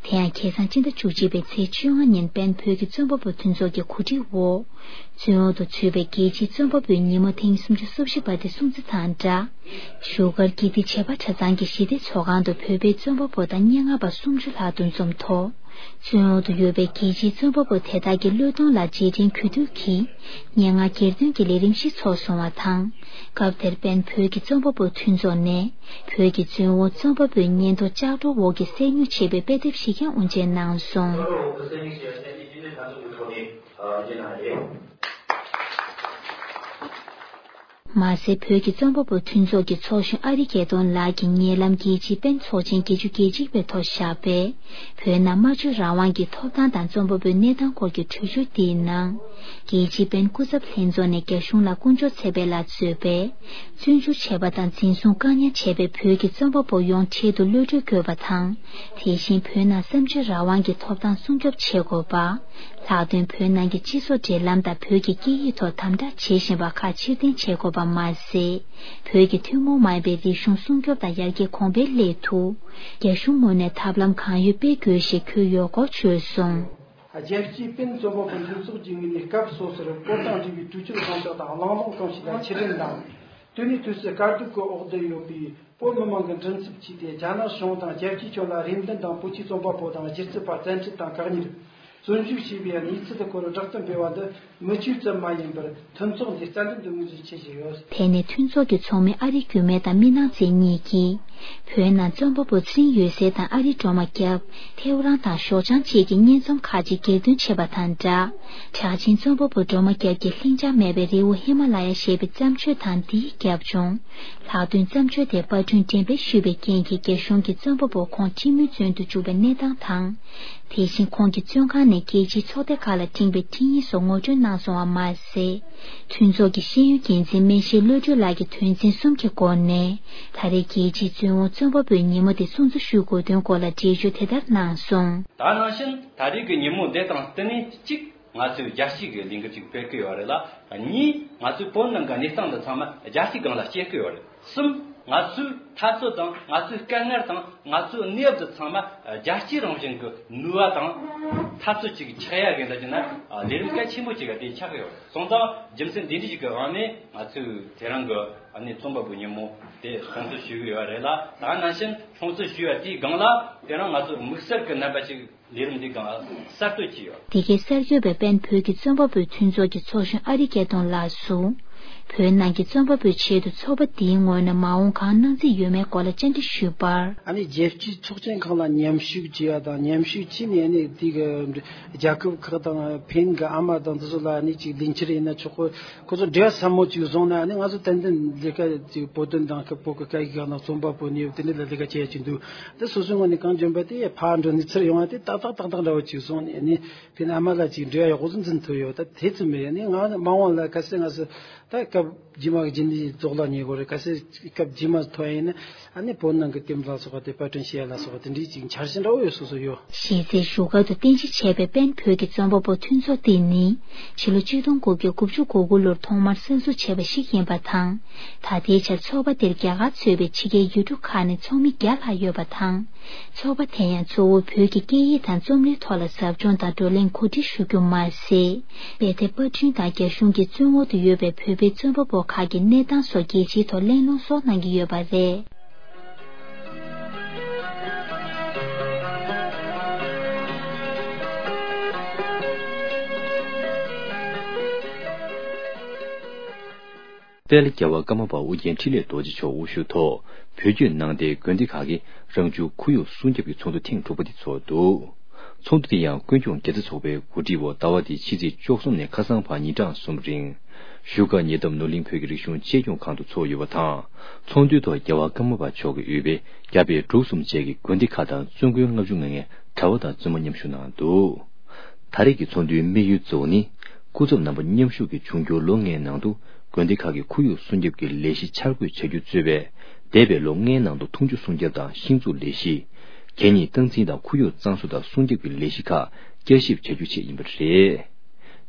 དེ་ཡང་ཁ་སང་སྤྱི་ཟླ་བཅུ་གཅིག་པའི་ཚེས་བཅོ་ལྔ་ཉིན་པེན་བོད་ཀྱི་རྩོམ་པ་པོ་མཐུན་ཚོགས་ཀྱི་གོ་སྒྲིག་འོག་བཙོན་འོག་ཏུ་ཚུད་པའི་རྒྱལ་སྤྱིའི་རྩོམ་པ་པོའི་ཉིན་མོ་ཐེངས་སུམ་ཅུ་སོ་བཞི་པ་དེ་སྲུང་བརྩི་དང་སྦྲགས། བཞུགས་སྒར་དགེ་ལྡན་བྱེས་པ་གྲྭ་ཚང་གི་ཞི་བདེའི་ཚོགས་ཁང་དུ་བོད་པའི་རྩོམ་པ་པོ་དང་སྙན་ངག་པ་སུམ་ཅུ་ལྷག་འདུ་འཛོམས་ཐོག་བཙོན་འོག་ཏུ་ཡོད་པའི་རྒྱལ་སྤྱིའི་རྩོམ་པ་པོ་དེ་དག་གི་བློས་གཏོང་ལ་རྗེས་དྲན་གུས་འདུད་ཀྱིས་སྙན་ངག་གྱེར་འདོན་གྱི་ལས་རིམ་ཞིག་ཚོགས་སོང་བ་དང་། སྐབས་དེར་པེན་བོད་ཀྱི་རྩོམ་པ་པོ་མཐུན་ཚོགས་ནས་བོད་ཀྱི་བཙོན་འོག་རྩོམ་པ་པོའི་ཉེན་རྟོག་ལྕགས་སྒྲོག་འོག་གི་གསར་འགྱུར་ཞེས་པའི་དཔེ་དེབ་ཞིག་ཀྱང་དབུ་འབྱེད་གནང་སོང་། མ་ཟད། བོད་ཀྱི་རྩོམ་པ་པོ་མཐུན་ཚོགས་ཀྱི་ཚོགས་གཞོན་ཨ་རིག་དགེ་གདོང་ལགས་ཀྱིས་ཉེ་ལམ་རྒྱལ་སྤྱིའི་པེན་ཚོགས་ཆེན་བརྒྱད་ཅུ་གྱ་གཅིག་པའི་ཐོག་བཞག་པའི་བོད་ནང་སྨྲ་བརྗོད་རང་དབང་གི་ཐོབ་ཐང་དང་རྩོམ་པ་པོའི་གནས་སྟངས་སྐོར་གྱི་འགྲེལ་བརྗོད་དེའི་ནང་། རྒྱལ་སྤྱིའི་པེན་སྐུ་ཚབ་ལྷན་ཚོགས་ནས་རྒྱ་གཞུང་ལ་སྐུ་ཕྱོགས་ཚད་པའི་ལ་རྩོད་པའི་བཙོན་འཇུག་བྱས་པ་དང་འཛིན་བཟུང་བཀག་ཉར་བྱས་པའི་བོད་ཀྱི་རྩོམ་པ་པོ་ཡོངས་འཕྲལ་དུ་གློད་གྲོལ་དགོས་པ་དང་། དེ་བཞིན་བོད་ནང་གསར་འགྱུར་རང་དབང་གི་ཐོབ་ཐང་སྲུང་སྐྱོབ་བྱེད་དགོས་པ། ལྷག་དོན་བོད་ནང་གི་སྤྱི་ཚོགས་འབྲེལ་ལམ་དང་བོད་ཀྱི་སྐད་ཡིག་ཐོག་དམ་དྲག་བྱེད་བཞིན་པ་ཁག་ཕྱིར་འཐེན་བྱེད་དགོས་པ་མ་ཟད། བོད་ཀྱི་ཐུན་མོང་མ་ཡིན་པའི་རིག་གཞུང་སྲུང་སྐྱོབ་དང་ཡར་རྒྱས་གོང་འཕེལ་སླད་དུ། རྒྱ་གཞུང་ངོས་ནས་ཐབས་ལམ་གང་ཡོད་སྤེལ་དགོས་ཞེས་ཁོས་ཡོད་སྐོར་བརྗོད་སོང་། རྒྱལ་སྤྱིའི་པེན་རྩོམ་པ་པོ་མཐུན་ཚོགས་ཀྱི་ངོས་ནས་སྐབས་སོ་སོར་བོད་དང་འབྲེལ་བའི་གྲོས་ཆོད་གང་དག་དང་གླེང་སློང་གང་ཞིག་ལ་ཕྱིར་དྲན་དང་། དེ་ནས་དུས་སུ་དཀའ་སྡུག་གི་འོག་ཏུ་ཡོད་པའི། བོད་མི་མང་གི་མགྲིན་ཚབ་བྱས་ཏེ་རྒྱ་ནག་གཞུང་དང་རྒྱལ་སྤྱིའི་ཁྱོན་ལ་རེ་འདུན་དང་བོད་ཀྱི་རྩོམ་པ་པོ་དང་སྒྱུ་རྩལ་པ་བཙན་ཁྲིད་དང་བཀག་ཉར། བཙོན་འཇུག་བྱས་པའི་གནས་ཚུལ་དེ་སྐོར་བསྒྲགས་གཏམ་སྤེལ་བ་འདི་མི་ཆོས་ཙམ་མ་ཡིན་པར་མཐུན་ཚོགས་འདིའི་རྩ་འཛིན་དུ་ངོས་འཛིན་བྱེད་བཞིན་ཡོད། དེ་ནས་མཐུན་ཚོགས་ཀྱི་ཚོགས་མི་ཨ་རིག་འགྱུར་མེད་དང་མི་ནག་བཙན་གཉིས་ཀྱིས་བོད་ནང་རྩོམ་པ་པོ་ཚེ་རིང་འོད་ཟེར་དང་ཨ་རིའི་སྒྲོལ་མ་སྐྱབས། ཐེའུ་རང་དང་ཞའོ་ཅང་བཅས་ཀྱི་སྙན་རྩོམ་ཁག་ཅིག་གྱེར་འདོན་བྱས་པ་དང་སྦྲགས། གྲགས་ཅན་རྩོམ་པ་པོ་སྒྲོལ་མ་སྐྱབས་ཀྱི་ལྷིང་འཇགས་མེད་པའི་རི་བོ་ཧི་མ་ལ་ཡ་ཞེས་པའི་བརྩམས་ཆོས་དང་འདིའི་རྒྱབ་ལྗོངས། ལྷག་དོན་བརྩམས་ཆོས་དེ་པར་སྐྲུན་འགྲེམས་སྤེལ་ཞུས་པའི་རྐྱེན་གྱིས་རྒྱ་གཞུང་གིས་རྩོམ་པ་པོ་ཁོང་ཁྲིམས་མིའི་བཙོན་དུ་བཅུག་པའི་གནས་སྟངས་དང་། དེ་བཞིན་ཁོང་གི་བཙོན་ཁང་ནས་རྒྱལ་སྤྱིའི་ཚོགས་སྡེ་ཁག་ལ་འཕྲིན་པའི་འཕྲིན་ཡིག་སོགས་ངོ་སྤྲོད་གནང་སོང་བ་མ་ཟད། མཐུན་ཚོགས་ཀྱི་ཤེས་ཡོན་འགན་འཛིན་སྨན་ཤེས་བློ་གྲོས་ལགས་ཀྱིས་དོན་ཚན་གསུམ་གྱི་སྒོ་ནས་ད་རེས་རྒྱལ་སྤྱིའི་བཙོན་འོག་རྩོམ་པ་པོའི་ཉིན་མོ་དེ་སྲུང་བརྩི་ཞུ་དགོས་དོན་སྐོར་ལ་འགྲེལ་བརྗོད་དེ་ལྟར་གནང་སོང་། ད་ནང་བཞིན་ད་རེས་ཀྱི་ཉིན་མོ་འདི་དང་བསྟུན་ནས་གཅིག་ང་ཚོས་རྒྱལ་སྤྱི་གི་ལས་འགུལ་ཅིག་སྤེལ་གི་ཡོད་རེད་ལ། གཉིས། ང་ཚོའི་བོད་ནང་གི་གནས་སྟངས་འདི་ཚང་མ་རྒྱལ་སྤྱིའི་སྒང་ལ་སྐྱེལ་གི་ཡོད་རེད། གསུམ། ང་ཚོའི་འཐབ་རྩོད་དང་ང་ཚོའི་དཀའ་ངལ་དང་ང་ཚོའི་གནས་བབ་འདི་ཚང་མ་རྒྱལ་སྤྱིའི་རང་བཞིན་གྱི་ནུས་པ་དང་འཐབ་རྩོད་ཅིག་ཆགས་ཡ་གི་འདྲ་བྱས་ན་ལས་རིམ་གལ་ཆེན་པོ་ཅིག་ག་དེ་ཆགས་གི་ཡོད་རེད། སོང་ཙང་རྒྱུ་མཚན་འདི་འདྲ་ཞིག་གི་དབང་ནས་ང་ཚོས་དེ་རིང་གི་ཨ་ནི་རྩོམ་པ་པོའི་ཉིན་མོ་དེ་སྲུང་བརྩི་ཞུ་གི་ཡོད་རེད་ལ། ད་ནང་བཞིན་སྲུང་བརྩི་ཞུ་ཡ་དེའི་སྒང་ལ་དེ་རིང་ང་ཚོ་དམིགས་བསལ་གྱི་རྣམ་པ་ཅིག་ལས་རིམ་འདི་སྒང་གསར་གཏོད་བྱས་ཡོད། འདི་གའི་གསར་འགོད་པས་པེན་བོད་ཀྱི་རྩོམ་པ་པོའི་མཐུན་ཚོགས་ཀྱི་ཚོགས་གཞོན་ཨ་རིག་སྐལ་སྟོན་ལགས་སུ། བོད་ནང་གི་རྩོམ་པ་པོའི་ཆེད་དུ་ཚོགས་པ་འདིའི་ངོས་ནས་མ་འོངས་གང་གནང་རྩིས་ཡོད་མེད་སྐོར་ལ་བཅར་འདྲི་ཞུས་པར། ཨ་ནི་རྒྱལ་སྤྱིའི་ཚོགས་ཆེན་ཁག་ལ་མཉམ་ཞུགས་བྱས་པ་དང་མཉམ་ཞུགས་བྱས་ནས་ཨ་ནི་དེ་གི་རྒྱལ་ཁབ་ཁག་དང་ཕན་གི་ཨ་མ་དང་དེ་ཚོ་ལ་ཨ་ནི་ཅིག་ལས་འཆར་ཡིན་ན་ཆོག་གོ། ཁོ་ཚོ་འབྲེལ་བ་ཟབ་མོ་ཅིག་བཟུང་ན་ཨ་ནི་ང་ཚོ་ཏན་ཏན་ལས་ཀ་ཅིག་བོད་དོན་དང་བོད་ཀྱི་སྐད་ཡིག་ནང་རྩོམ་པ་པོ་ནས་དེ་འདྲ་ལ་ལས་ཀ་བྱེད་ཡ་ཅིག་འདུག་དེ་སོ་སོའི་ངོས་ནས་གང་འཇོན་པ་དེ་ཕར་འགྲོ་ནས་ཚུར་ཡོང་བ་དེ་ཏག་ཏག་ཏག་ཏག་འདྲ་བོ་ཅིག་བཟུང་ནས་ཨ་ནི་དེ་ནས་ཨ་མ་ལགས་ཅིག་འབྲེལ་བ་ཡག་པོ་ཟིག་འཛིན་ཐུབ་ཡོད། ད་དེ་ཙམ་རེད། ཨ་ནི་ང་མ་འོངས་ལ་གལ་སྲིད་ང་ཚོ་ད་སྐབས་རྗེས་མ་གི་རྗེས་འདེད་རྫོགས་ལ་ཉེ་གོ་རེད། གལ་སྲིད་སྐབས་རྗེས་མ་ཐོན་ཡིན་ན་ཨ་ནི་བོད་ནང་གི་དེབ་ལ་སོགས་པ་དེ་པར་སྐྲུན་བྱེད་ཡ་ལ་སོགས་པ་དེ་འདྲའི་ཅིག་འཆར་གཞི་འདྲ་བོ་ཡོད་སོ་སོ་ཡོད། གཞི་རྩའི་བཞུགས་སྒར་དུ་རྟེན་གཞི་བྱས་པའི་པེན་བོད་ཀྱི་རྩོམ་པ་པོ་མཐུན་ཚོགས་འདི་ནི་ཕྱི་ལོ་ཆིག་སྟོང་དགུ་བརྒྱ་དགུ་བཅུ་གོ་དགུ་ལོར་ཐོག་མར་གསར་འཛུགས་བྱས་པ་ཞིག་ཡིན་པ་དང་། ད་ལྟའི་ཆར་ཚོགས་པ་དེར་རྒྱ་གར་གཙོས་པའི་ཕྱི་རྒྱལ་ཡུལ་གྲུ་ཁག་ནས་ཚོགས་མི་བརྒྱ་ལྷག་ཡོད་པ་དང་། ཚོགས་པ་དེ་ཡང་གཙོ་བོ་བོད་ཀྱི་སྐད་ཡིག་དང་རྩོམ་རིག་ཐོག་ལ་ཟབ་སྦྱོང་དང་བགྲོ་གླེང་གོ་སྒྲིག་ཞུ་རྒྱུ་མ་ཟད། དཔེ་དེབ་པར་སྐྲུན་དང་རྒྱ་གཞུང་གིས་བཙོན་འོག་ཏུ་ཡོད་པའི་བོད་པའི་རྩོམ་པ་པོ་ཁག་གི་གནས་སྟངས་སོགས་རྒྱལ་སྤྱིའི་ཐོག་གླེང་སློང་སོགས་གནང་གི་ཡོད་པ་རེད། དཔལ་རྒྱལ་བ་ཀརྨ་པ་ཨོ་རྒྱན་འཕྲིན་ལས་རྡོ་རྗེ་མཆོག་དབུ་བཞུགས་ཐོག་བོད་བརྒྱུད་ནང་བསྟན་དགོན་སྡེ་ཁག་གིས་རང་བྱུང་ཁོར་ཡུག་སྲུང་སྐྱོབ་ཀྱི་ཚོགས་འདུ་ཐེངས་དྲུག་པ་དེ་ཚོགས་འདུག་ཚོགས་འདུ་དེ་ཡང་ཀུན་སྐྱོང་དགེ་རྩ་ཚོགས་པའི་གོ་སྒྲིག་འོག་ཟླ་བ་འདིའི་ཕྱི་ཚེས་བཅུ་གསུམ་ནས་ཁ་སང་བར་ཉིན་གྲངས་གསུམ་རིང་བཞུགས་སྒར་ཉེ་འདབས་ནོར་གླིང་བོད་ཀྱི་རིག་གཞུང་གཅེས་སྐྱོང་ཁང་དུ་ཚོགས་ཡོད་པ་དང་། ཚོགས་འདུའི་ཐོག་རྒྱལ་བ་ཀརྨ་པ་མཆོག་གིས་དབུས་པའི་རྒྱ་བལ་འབྲུག་གསུམ་བཅས་ཀྱི་དགོན་སྡེ་ཁག་དང་བཙུན་དགོན་ལྔ་བཅུ་ང་ལྔའི་གྲྭ་པ་དང་བཙུན་མ་མཉམ་ཞུགས་གནང་འདུག་ད་རེས་ཀྱི་ཚོགས་འདུའི་དམིགས་ཡུལ་གཙོ་བོ་ནི། སྐུ་ཚབ་རྣམ་པ་མཉམ་ཞུགས་ཀྱིས་འབྱུང་འགྱུར་ལོ་ལྔའི་ནང་དུ་དགོན་སྡེ་ཁག་གི་ཁོར་ཡུག་སྲུང་སྐྱོབ་ཀྱི་ལས་གཞི་འཆར་འགོད་བྱ་རྒྱུ་གཙོས་པའི་འདས་པའི་ལོ་ལྔའི་ནང་དུ་འཐུང་ཆུ་སྲུང་སྐྱོབ་དང་ཤིང་འཛུགས་ལས་གཞི། གད་སྙིགས་སྟངས་འཛིན་དང་ཁོར་ཡུག་གཙང་བཟོ་དང་སྲུང་སྐྱོབ་ཀྱི་ལས་གཞི་ཁག་བསྐྱར་ཞིབ་བྱ་རྒྱུ་བཅས་ཡིན་པ་རེད།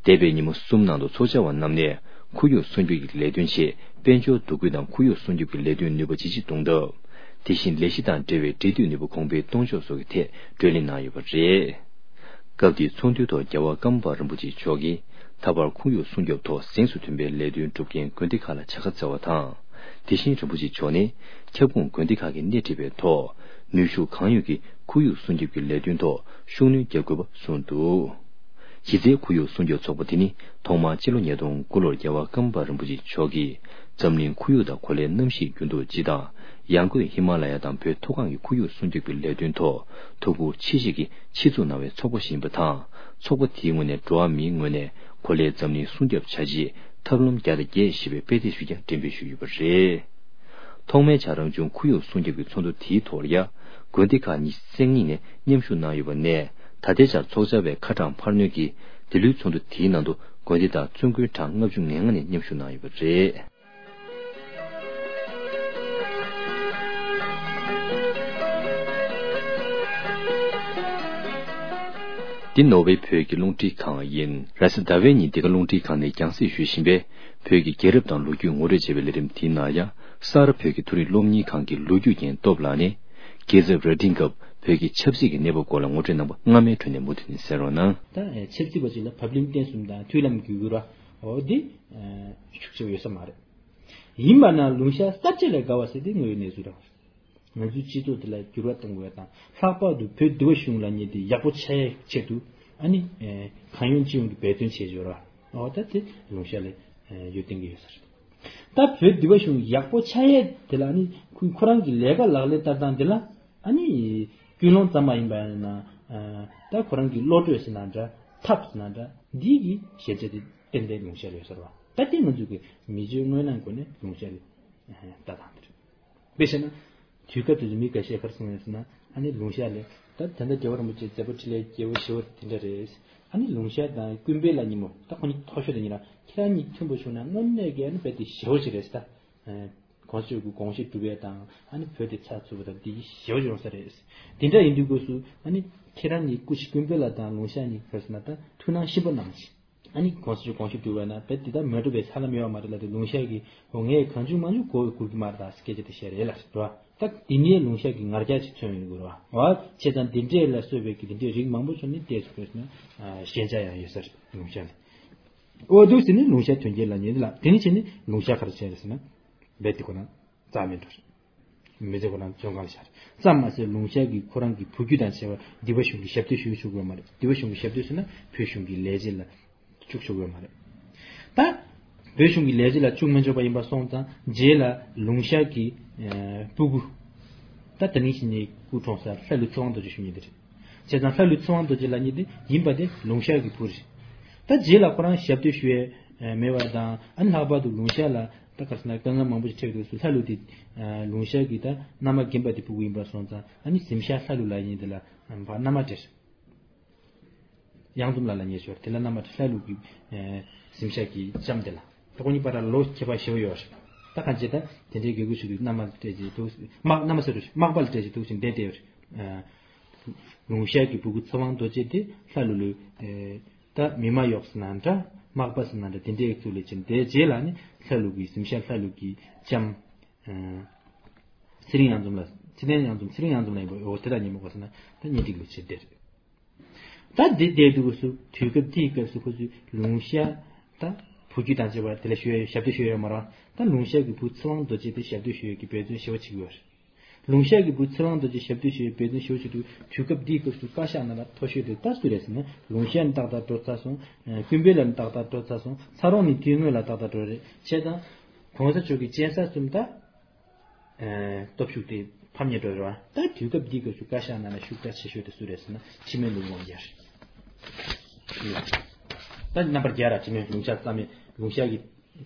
འདས་པའི་ཉིན་མོ་གསུམ་ནང་དུ་ཚོགས་བཅར་བ་རྣམས་ནས་ཁོར་ཡུག་སྲུང་སྐྱོབ་ཀྱི་ལས་དོན་ཆེད་དཔལ་འབྱོར་འདུ་འགོད་དང་ཁོར་ཡུག་སྲུང་སྐྱོབ་ཀྱི་ལས་དོན་ནུས་པ་ཇེ་ཆེར་གཏོང་ཐབས། དེ་བཞིན་ལས་གཞི་དང་འབྲེལ་བའི་འབྲེལ་མཐུད་ནུས་པ་གོང་འཕེལ་གཏོང་ཕྱོགས་སོགས་ཀྱི་ཐད་གྲོས་གླེང་གནང་ཡོད་པ་རེད། སྐབས་དེའི་ཚོགས་འདུའི་ཐོག་རྒྱལ་བ་ཀརྨ་པ་རིན་པོ་ཆེ་མཆོག་གིས་ད་བར་ཁོར་ཡུག་སྲུང་སྐྱོབ་ཐོག་གཟེངས་སུ་ཐོན་པའི་ལས་དོན་སྒྲུབ་མཁན་དགོན་སྡེ་ཁག་ལ་བྱ་དགའ་སྩལ་བ་དང་། དེ་བཞིན་རིན་པོ་ཆེ་མཆོག་ནས་ཁྱབ་ཁོངས་དགོན་སྡེ་ཁག་གིས་སྣེ་ཁྲིད་པའི་ཐོག་ནུས་ཤུགས་གང་ཡོད་ཀྱིས་ཁོར་ཡུག་སྲུང་སྐྱོབ་ཀྱི་ལས་དོན་ཐོག་ཤུགས་སྣོན་རྒྱག་དགོས་པ་གསུངས་འདུག་གཞི་རྩའི་ཁོར་ཡུག་སྲུང་སྐྱོབ་ཚོགས་པ་དེ་ནི་ཐོག་མར་སྤྱི་ལོ་ཉིས་སྟོང་དགུ་ལོར་རྒྱལ་བ་ཀརྨ་པ་རིན་པོ་ཆེ་མཆོག་གིས་འཛམ་གླིང་ཁོར་ཡུག་དང་གོ་ལའི་གནམ་གཤིས་འགྱུར་ལྡོག་སྤྱི་དང་། ཡང་སྒོས་ཧི་མ་ལ་ཡ་དང་བོད་མཐོ་སྒང་གི་ཁོར་ཡུག་སྲུང་སྐྱོབ་ཀྱི་ལས་དོན་ཐོག་ཐུགས་ཁུར་ཆེ་བཞེས་ཀྱིས་ཆེད་འཛུགས་གནང་བའི་ཚོགས་པ་ཞིག་ཡིན་པ་དང་། ཚོགས་པ་དེའི་ངོས་ནས་འགྲོ་བ་མིའི་ངོས་ནས་གོ་ལའི་འཛམ་གླིང་སྲུང་སྐྱོབ་བྱ་ཆེད་ཐབས་ལམ་བརྒྱ་དང་བརྒྱད་ཞེས་པའི་དཔེ་དེབ་ཞིག་ཀྱང་འགྲེམས་སྤེལ་ཞུས་ཡོད་པ་རེད། ཐོག་མའི་ཆར་རང་བྱུང་ཁོར་ཡུག་སྲུང་སྐྱོབ་ཀྱི་ཚོགས་འདུ་དེའི་ཐོག་ལ་ཡ། དགོན་སྡེ་ཁག་ཉི་ཤུ་རྩ་གཉིས་ནས་མཉམ་ཞུགས་གནང་ཡོད་པ་ནས། ད་ལྟའི་ཆར་ཚོགས་བཅར་བའི་ཁ་གྲངས་འཕར་སྣོན་གྱིས་འདི་ལོའི་ཚོགས་འདུ་དེའི་ནང་དུ་དགོན་སྡེ་དང་བཙུན་དགོན་གྲངས་ལྔ་བཅུ་ང་ལྔ་ནས་མཉམ་ཞུགས་གནང་ཡོད་པ་རེད། འདི་ནོར་ཝེ་བོད་ཀྱི་རླུང་འཕྲིན་ཁང་ཡིན། རེས་གཟའ་ཟླ་བའི་ཉིན་འདི་ག་རླུང་འཕྲིན་ཁང་ནས་རྒྱང་སྲིང་ཞུ་བཞིན་པའི་བོད་ཀྱི་རྒྱལ་རབས་དང་ལོ་རྒྱུས་ངོ་སྤྲོད་ཅེས་པའི་ལས་རིམ་དེའི་ནང་ཡང་། གསར་བོད་ཀྱི་མཐོ་རིམ་སློབ་གཉེར་ཁང་གི་ལོ་རྒྱུས་རྒན་སྟོབས་ལགས་ནས། རྒྱལ་ཚབ་རྭ་སྒྲེང་སྐབས་བོད་ཀྱི་ཆབ་སྲིད་ཀྱི་གནས་བབ་སྐོར་ལ་ངོ་སྤྲོད་གནང་བ་སྔ་མའི་ཁྲོད་ནས་མུ་མཐུད་ནས་གསན་རོགས་གནང་། ད་ཆབ་སྲིད་པ་ཅིག་ལ་བབ་བརླིང་བརྟན་གསུམ་དང་མཐུན་ལམ་བརྒྱུད་དགོས་ར། འོ་འདི་ཤུགས་ཆེ་བ་ཡོད་ས་མ་རེད། ཡིན་པ་ན་ལུང་ཤ་གསར་བརྗེ་ལས་དགའ་བ་ཟེར་དེ་དངོས་ཡོད་གནས་ཚུལ་རང་རེད། ང་ཚོའི་སྤྱི་ཚོགས་འདི་ལ་འགྱུར་བ་གཏོང་དགོས་པ་དང་། ལྷག་པར་དུ་བོད་འདི་བ་གཞུང་ལ་ཉེ་དེ་ཡག་པོ་ཆགས་ཡའི་ཆེད་དུ། ཨ་ནི་གང་ཡོང་ཅི་ཡོང་གི་འབད་བརྩོན་བྱེད་འབྱོར་བ། འོ་ད་དེ་ལུང་ཤ་ལས་ཡོད་བསྟན་གྱི་ཡོད་ས་རེད། ད་བོད་འདི་བ་གཞུང་ཡག་པོ་ཆགས་ཡས་དེ་ལ་ཨ་ནི་ཁོ་ཁོ་རང་གི་ལས་ཀ་ལག་ལེན་བསྟར་སྟངས་དེ་ལ་ཨ་ནི་ཀུན་སློང་ཙམ་མ་ཡིན་པ་ཡིན་ན། ད་ཁོ་རང་གི་བློ་གྲོས་ཟེར་ན་འདྲ། ཐབས་ཟེར་ན་འདྲ། འདི་གི་ཞན་ཆ་དེ་ཏན་ཏན་ལུང་ཤ་ལ་ཡོད་ས་རེད་བ། ད་དེ་ང་ཚོ་གི་མི་ཚེ་དངོས་གནས་སྒོ་ནས་ལུང་ཤ་ལ་ལྟ་སྟངས་དེ་རེད། དཔེ་བྱས་ན། དུས་སྐབས་དེ་ཚོ་མི་འགའ་ཤས་ག་རེ་གསུངས་ཡོད་ཟེར་ན། ཨ་ནི་ལུང་ཤ་ལས་ད་ད་ལྟ་རྒྱལ་བ་རིན་པོ་ཆེ་མཛད་པ་འཕྲིན་ལས་རྒྱས་པོ་ཞེ་པོ་དེ་འདྲ་རེད། ཨ་ནི་ལུང་ཤ་དང་ཀུན་དཔལ་ལ་ཉིན་མོ་ད་ཁོ་གཉིས་མཐོ་ཤོས་དང་གཉིས་ལ་ཁྱེད་རང་གཉིས་མཐུན་པོ་བྱུང་ན་དངོས་གནས་ཀྱི་ཨ་ནི་རྦད་དེ་ཞེ་པོ་ཞིག་རེད་ཟེར། ད་གོང་ས་མཆོག་གི་དགོངས་གཞི་འགྲུབ་ཡས་དང་ཨ་ནི་བོད་དེ་ཚགས་ཚུད་པ་དང་དེ་ཞེ་པོ་ཡོང་ས་རེད། དེ་འདྲ་ཡིན་དུས་སྐབས་སུ་ཨ་ནི་ཁྱེད་རང་གཉིས་སྐུ་མཁྱེན་ཀུན་དཔལ་ལ་དང་ལུང་ཤ་གཉིས་ག་རེ་ཟེར་ན་ད་ཐུགས་སྣང་ཞིབ་པོ་གནང་ཞིག་ཨ་ནི་གོང་ས་མཆོག་དགོངས་ཞུ་བསྒྲུབས་པ་ན་བེད་དེ་ལྟར་མ་གྲུབ་པའི་ས་ལམ་ཡོད་མ་རེད་ལ། དེ་ལུང་ཤ་གི་འོ་ངས་གང་བྱུང་མང་བྱུང་གོ་བའི་གུར་གྱི་མར་དང་སྐད་ཆ་དེ་བཤད་རེད་ལ་རེད་བ། ད་དེ་ནས་ལུང་ཤ་གི་ངར་རྒྱ་ཅིག་མཚོན་ཡོང་གི་རེད་བ། བ་བྱས་ཙང་དེ་འདྲས་ལ་སོགས་པའི་གི་དེ་འདྲས་རིགས་མང་པོ་བྱུང་ནས་བལྟས་སུ་བཀོད་ན་ཞན་ཆ་ཡང་ཡོད་ས་རེད་ལུང་ཤ་ལ། འོ་འདུག་ཟེར་ནས་ལུང་ཤ་ཐོན་སྐྱེད་ལ་ཉེ་ལ་དེ་ནས་བྱས་ནས་ལུང་ཤ་ག་རེ་བྱས་རེད་ཟེར་ན་བེད་དེ་ཁོ་ན། རྩ་མེད་འགྲོ་རེད། མི་ཚེ་ཁོ་རང་བཙོན་ཁང་ལ་བཞག་རེད། ཙམ་མ་ཟད་ལུང་ཤ་གིས་ཁོ་རང་གི་བུ་རྒྱུད་དང་བཅས་པ་འདི་བ་གཞུང་གི་ཞབས་ཏོག་ཞུ་ཆོག་གི་ཡོད་མ་རེད། འདི་བ་གཞུང་གི་ཞབས་ཏོག་ཟེར་ན་བོད་གཞུང་གི་ལས་བྱེད་ལ་བཅུག་ཆོག་གི་ཡོད་མ་རེད། ད་བོད་གཞུང་གི་ལས་བྱེད་ལ་བཅུག་མི་ཆོག་པ་ཡིན་པ་སོང་ཙང་རྗེས་ལ་ལུང་ཤ་གི་ཨ་སྤུ་གུ། ད་དེ་རིང་ཞིག་ནས་སྐུ་གྲོངས་ས་ལྷ་ཀླུ་ཚེ་དབང་རྡོ་རྗེ་ཞུ་མཁན་དེ་རེད། བྱས་ཙང་ལྷ་ཀླུ་ཚེ་དབང་རྡོ་རྗེ་ལབ་མཁན་དེ་ཡིན་པ་དེ་ལུང་ཤ་གི་བུ་རེད། ད་རྗེས་ལ་ཁོ་རང་ཞབས་ཏོག་ཞུ་ཡས་མེད་པ་དང་ཨ་ནི་ལྷག་པར་དུ་ལུང་ཤ་ལ་ད་ག་རེ་ཟེར་ན་དཀའ་ངལ་མང་པོ་ཞིག་འཕྲད་དུས་སུ་ལྷ་ཀླུ་དེ་ལུང་ཤ་གི་ད་མནའ་མ་རྒན་པ་དེ་སྤུ་གུ་ཡིན་པ་སོང་ཙང་ཨ་ནི་གཟིམ་ཤག་ལྷ་ཀླུ་ལབ་མཁན་དེ་ལ་ཕར་མནའ་མ་སྤྲད། གཡང་འཛོམས་ལགས་ལ་ཉེ་ཞོར་དེ་ལ་མནའ་མ་སྤྲད། ལྷ་ཀླུ་གི་གཟིམ་ཤག་གི་ལྕམ་དེ་ལ། ད་ཁོ་གཉིས་བར་ལ་ལོ་ཁྱད་པར་ཞེ་པོ་ཡོད་རེད། ད་གང་བྱས་ད་དེ་འདྲའི་དགེ་བསྐོས་ཞིག་ཏུ་མནའ་མ་སྤྲད་ཅིག་འདུག་མ་མནའ་མ་ཟེར་རོ། མག་པ་ལ་སྤྲད་ཅིག་འདུག་ཅིང་བསྡད་བསྡད་ཡོད་རེད། ལུང་ཤ་གི་སྤུ་གུ་ཚེ་དབང་རྡོ་རྗེ་དེ་ལྷ་ཀླུ་ལོས། ད་མི་མ་གཡོག་ཟེར་ན་འདྲ། མག་པ་ཟེར་ན་འདྲ། དེ་འདྲའི་གཙུག་ལས་ཕྱིན་དེ་རྗེས་ལ་ནི་ལྷ་ཀླུ་གི་གཟིམ་ཤག་ལྷ་ཀླུ་གི་ལྕམ། ཚེ་རིང་གཡང་འཛོམས་ལ། ཚེ་བརྟན་གཡང་འཛོམས། ཚེ་རིང་གཡང་འཛོམས་ལ་ཡིན་པ་འོ་དེ་དག་ཉིན་མོ་ག་ཟེར་ན་ད་གཉེན་སྒྲིག་ལོ་ཕྱིར་བསྡད་རེད། ད་འདི་བསྡད་དུས་སྐབས་སུ་དུས་སྐབས་དེའི་སྐབས་སུ་ཁོ་ཚོས་ལུང་ཤ་ད་བུ་རྒྱུད་དང་བཅས་པ་དེ་ལ་ཞུ་ཡ་ཞབས་ཏོག་ཞུ་ཡ་ཡོད་མ་རེད། ད་ལུང་ཤ་གི་བུ་ཚེ་དབང་རྡོ་རྗེ་དེ་ཞབས་ཏོག་ཞུ་ཡ་གི་འབད་བརྩོན་ཞེ་པོ་བྱེད་ཀྱི་ཡོད་རེད། ལུང་ཤ་གི་བུ་ཚེ་དབང་རྡོ་རྗེ་ཞབས་ཏོག་ཞུ་ཡ་འབད་བརྩོན་ཞེ་པོ་བྱེད་དུས་དུས་སྐབས་འདིའི་སྐབས་སུ་བཀའ་ཤག་ནང་ལ་མཐོ་ཤོས་དེ་ད་སུ་རེད་ཟེར་ན་ལུང་ཤ་ནི་ཏག་ཏག་འགྲོ་ཚར་སོང་། ཀུན་དཔལ་ལ་ནི་ཏག་ཏག་འགྲོ་ཚར་སོང་། ཚ་རོང་ནི་དུས་སྔོན་ལ་ཏག་ཏག་འགྲོ་རེད། བྱས་ཙང་གོང་ས་མཆོག་གི་སྤྱན་ས་གསུམ་ད། སྟོབས་ཤུགས་དེ་ཕམ་ཉེས་འགྲོ་རེད་བ། ད་དུས་སྐབས་འདིའི་སྐབས་སུ་བཀའ་ཤག་ནང་ལ་ཤུགས་དྲག་ཆེ་ཤོས་དེ་སུ་རེད་ཟེར་ན་འཕྲིན་མོའི་ནོར་བུ་དབང་རྒྱལ་རེད། ད་རྣམ་པར་རྒྱལ་ར་འཕྲིན་མོའི་ལུང་ཤ་རྩ་མེད་ལུང་ཤ་གི་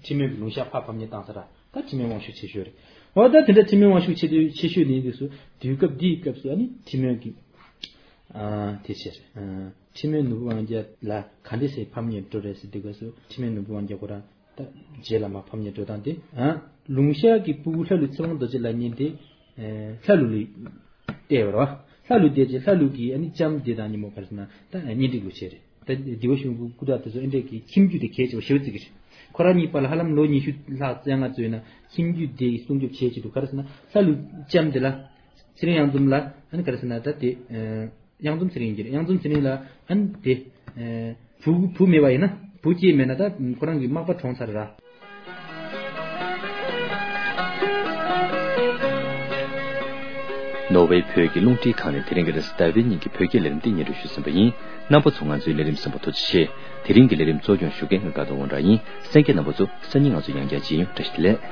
འཕྲིན་མོའི་ལུང་ཤ་ཕར་ཕམ་ཉེས་བཏང་ས་ར་ད་འཕྲིན་མོའི་དབང་ཤུགས་ཆེ་ཤོས་རེད། འོ་ད་དེ་འདྲ་འཕྲིན་མོའི་དབང་ཤུགས་ཆེ་དུས་ཆེ་ཤོས་ནི་འདུག་སུ་དུས་སྐབས་འདིའི་སྐབས་སུ་ཨ་ནི་འཕྲིན་མོའི་གི་དེ་ཆེ་རེད། འཕྲིན་མོའི་ནོར་བུ་དབང་རྒྱལ་ལ་ག་འདྲ་སེ་ཕམ་ཉེས་འགྲོ་རེད་ཟེར་དུས་སྐབས་སུ་འཕྲིན་མོའི་ནོར་བུ་དབང་རྒྱལ་ཁོ་རང་། ད་རྗེས་ལ་མ་ཕམ་ཉེས་འགྲོ་སྟངས་དེ། ལུང་ཤ་གི་སྤུ་གུ་ལྷ་ཀླུ་ཚེ་དབང་རྡོ་རྗེ་ལབ་མཁན་དེ། ལྷ་ཀླུ་ལ་བལྟས་པ་རེད་བ། ལྷ་ཀླུ་བལྟས་རྗེས་ལྷ་ཀླུ་གི་ཨ་ནི་ལྕམ་དེ་དང་ཉིན་མོ་ག་རེ་ཟེར་ན་ད་གཉེན་སྒྲིག་ལོ་བྱས་རེད། ད་འདི་བ་གཞུང་གི་སྐུ་དྲག་དེ་ཚོ་ཨེ་འདྲས་ཀྱི་ཁྱིམ་རྒྱུད་དེ་གལ་ཆེ་བ་ཞེ་པོ་བརྩི་གི་རེད། ཁོ་རང་གཉིས་བར་ལ་ཧ་ལམ་ལོ་ཉི་ཤུ་ལྷག་ཙམ་ཡང་ང་ཚོས་ན་ཁྱིམ་རྒྱུད་དེ་སྲུང་སྐྱོབ་བྱེད་ཀྱི་འདུག་ག་རེ་ཟེར་ན་ལྷ་ཀླུ་ལྕམ་དེ་ལ་ཚེ་རིང་གཡང་འཛོམས་ལ་ཨ་ནི་ག་རེ་ཟེར་ན་ད་དེ། གཡང་འཛོམས་ཚེ་རིང་གིས་གཡང་འཛོམས་ཚེ་རིང་ལ་ཨ་ནི་དེ། བུ་བུ་མེད་པ་ཡིན་ན་བུ་སྐྱེས་མེད་ན་ད་ཁོ་རང་གི་མག་པ་གྲོངས་ཚར་ར། ནོར་ཝེ་བོད་ཀྱི་རླུང་འཕྲིན་ཁང་ནས་དེ་རིང་གི་རེས་གཟའ་ཟླ་བའི་ཉིན་གྱི་བོད་སྐད་ལས་རིམ་འདི་སྙན་སྒྲོན་ཞུས་ཟིན་པ་ཡིན། རྣམ་པ་ཚོ་ང་ཚོའི་ལས་རིམ་གསན་པར་ཐུགས་རྗེ་ཆེ། དེ་རིང་གི་ལས་རིམ་གཙོ་སྐྱོང་ཞུ་མཁན་ང་དགའ་ལྡན་དབང་གྲགས་ཡིན། གསན་མཁན་རྣམ་པ་ཚོ་སང་ཉིན་ང་ཚོ་ཡང་བསྐྱར་མཇལ་ཡོང་། བཀྲ་ཤིས་བདེ་ལེགས།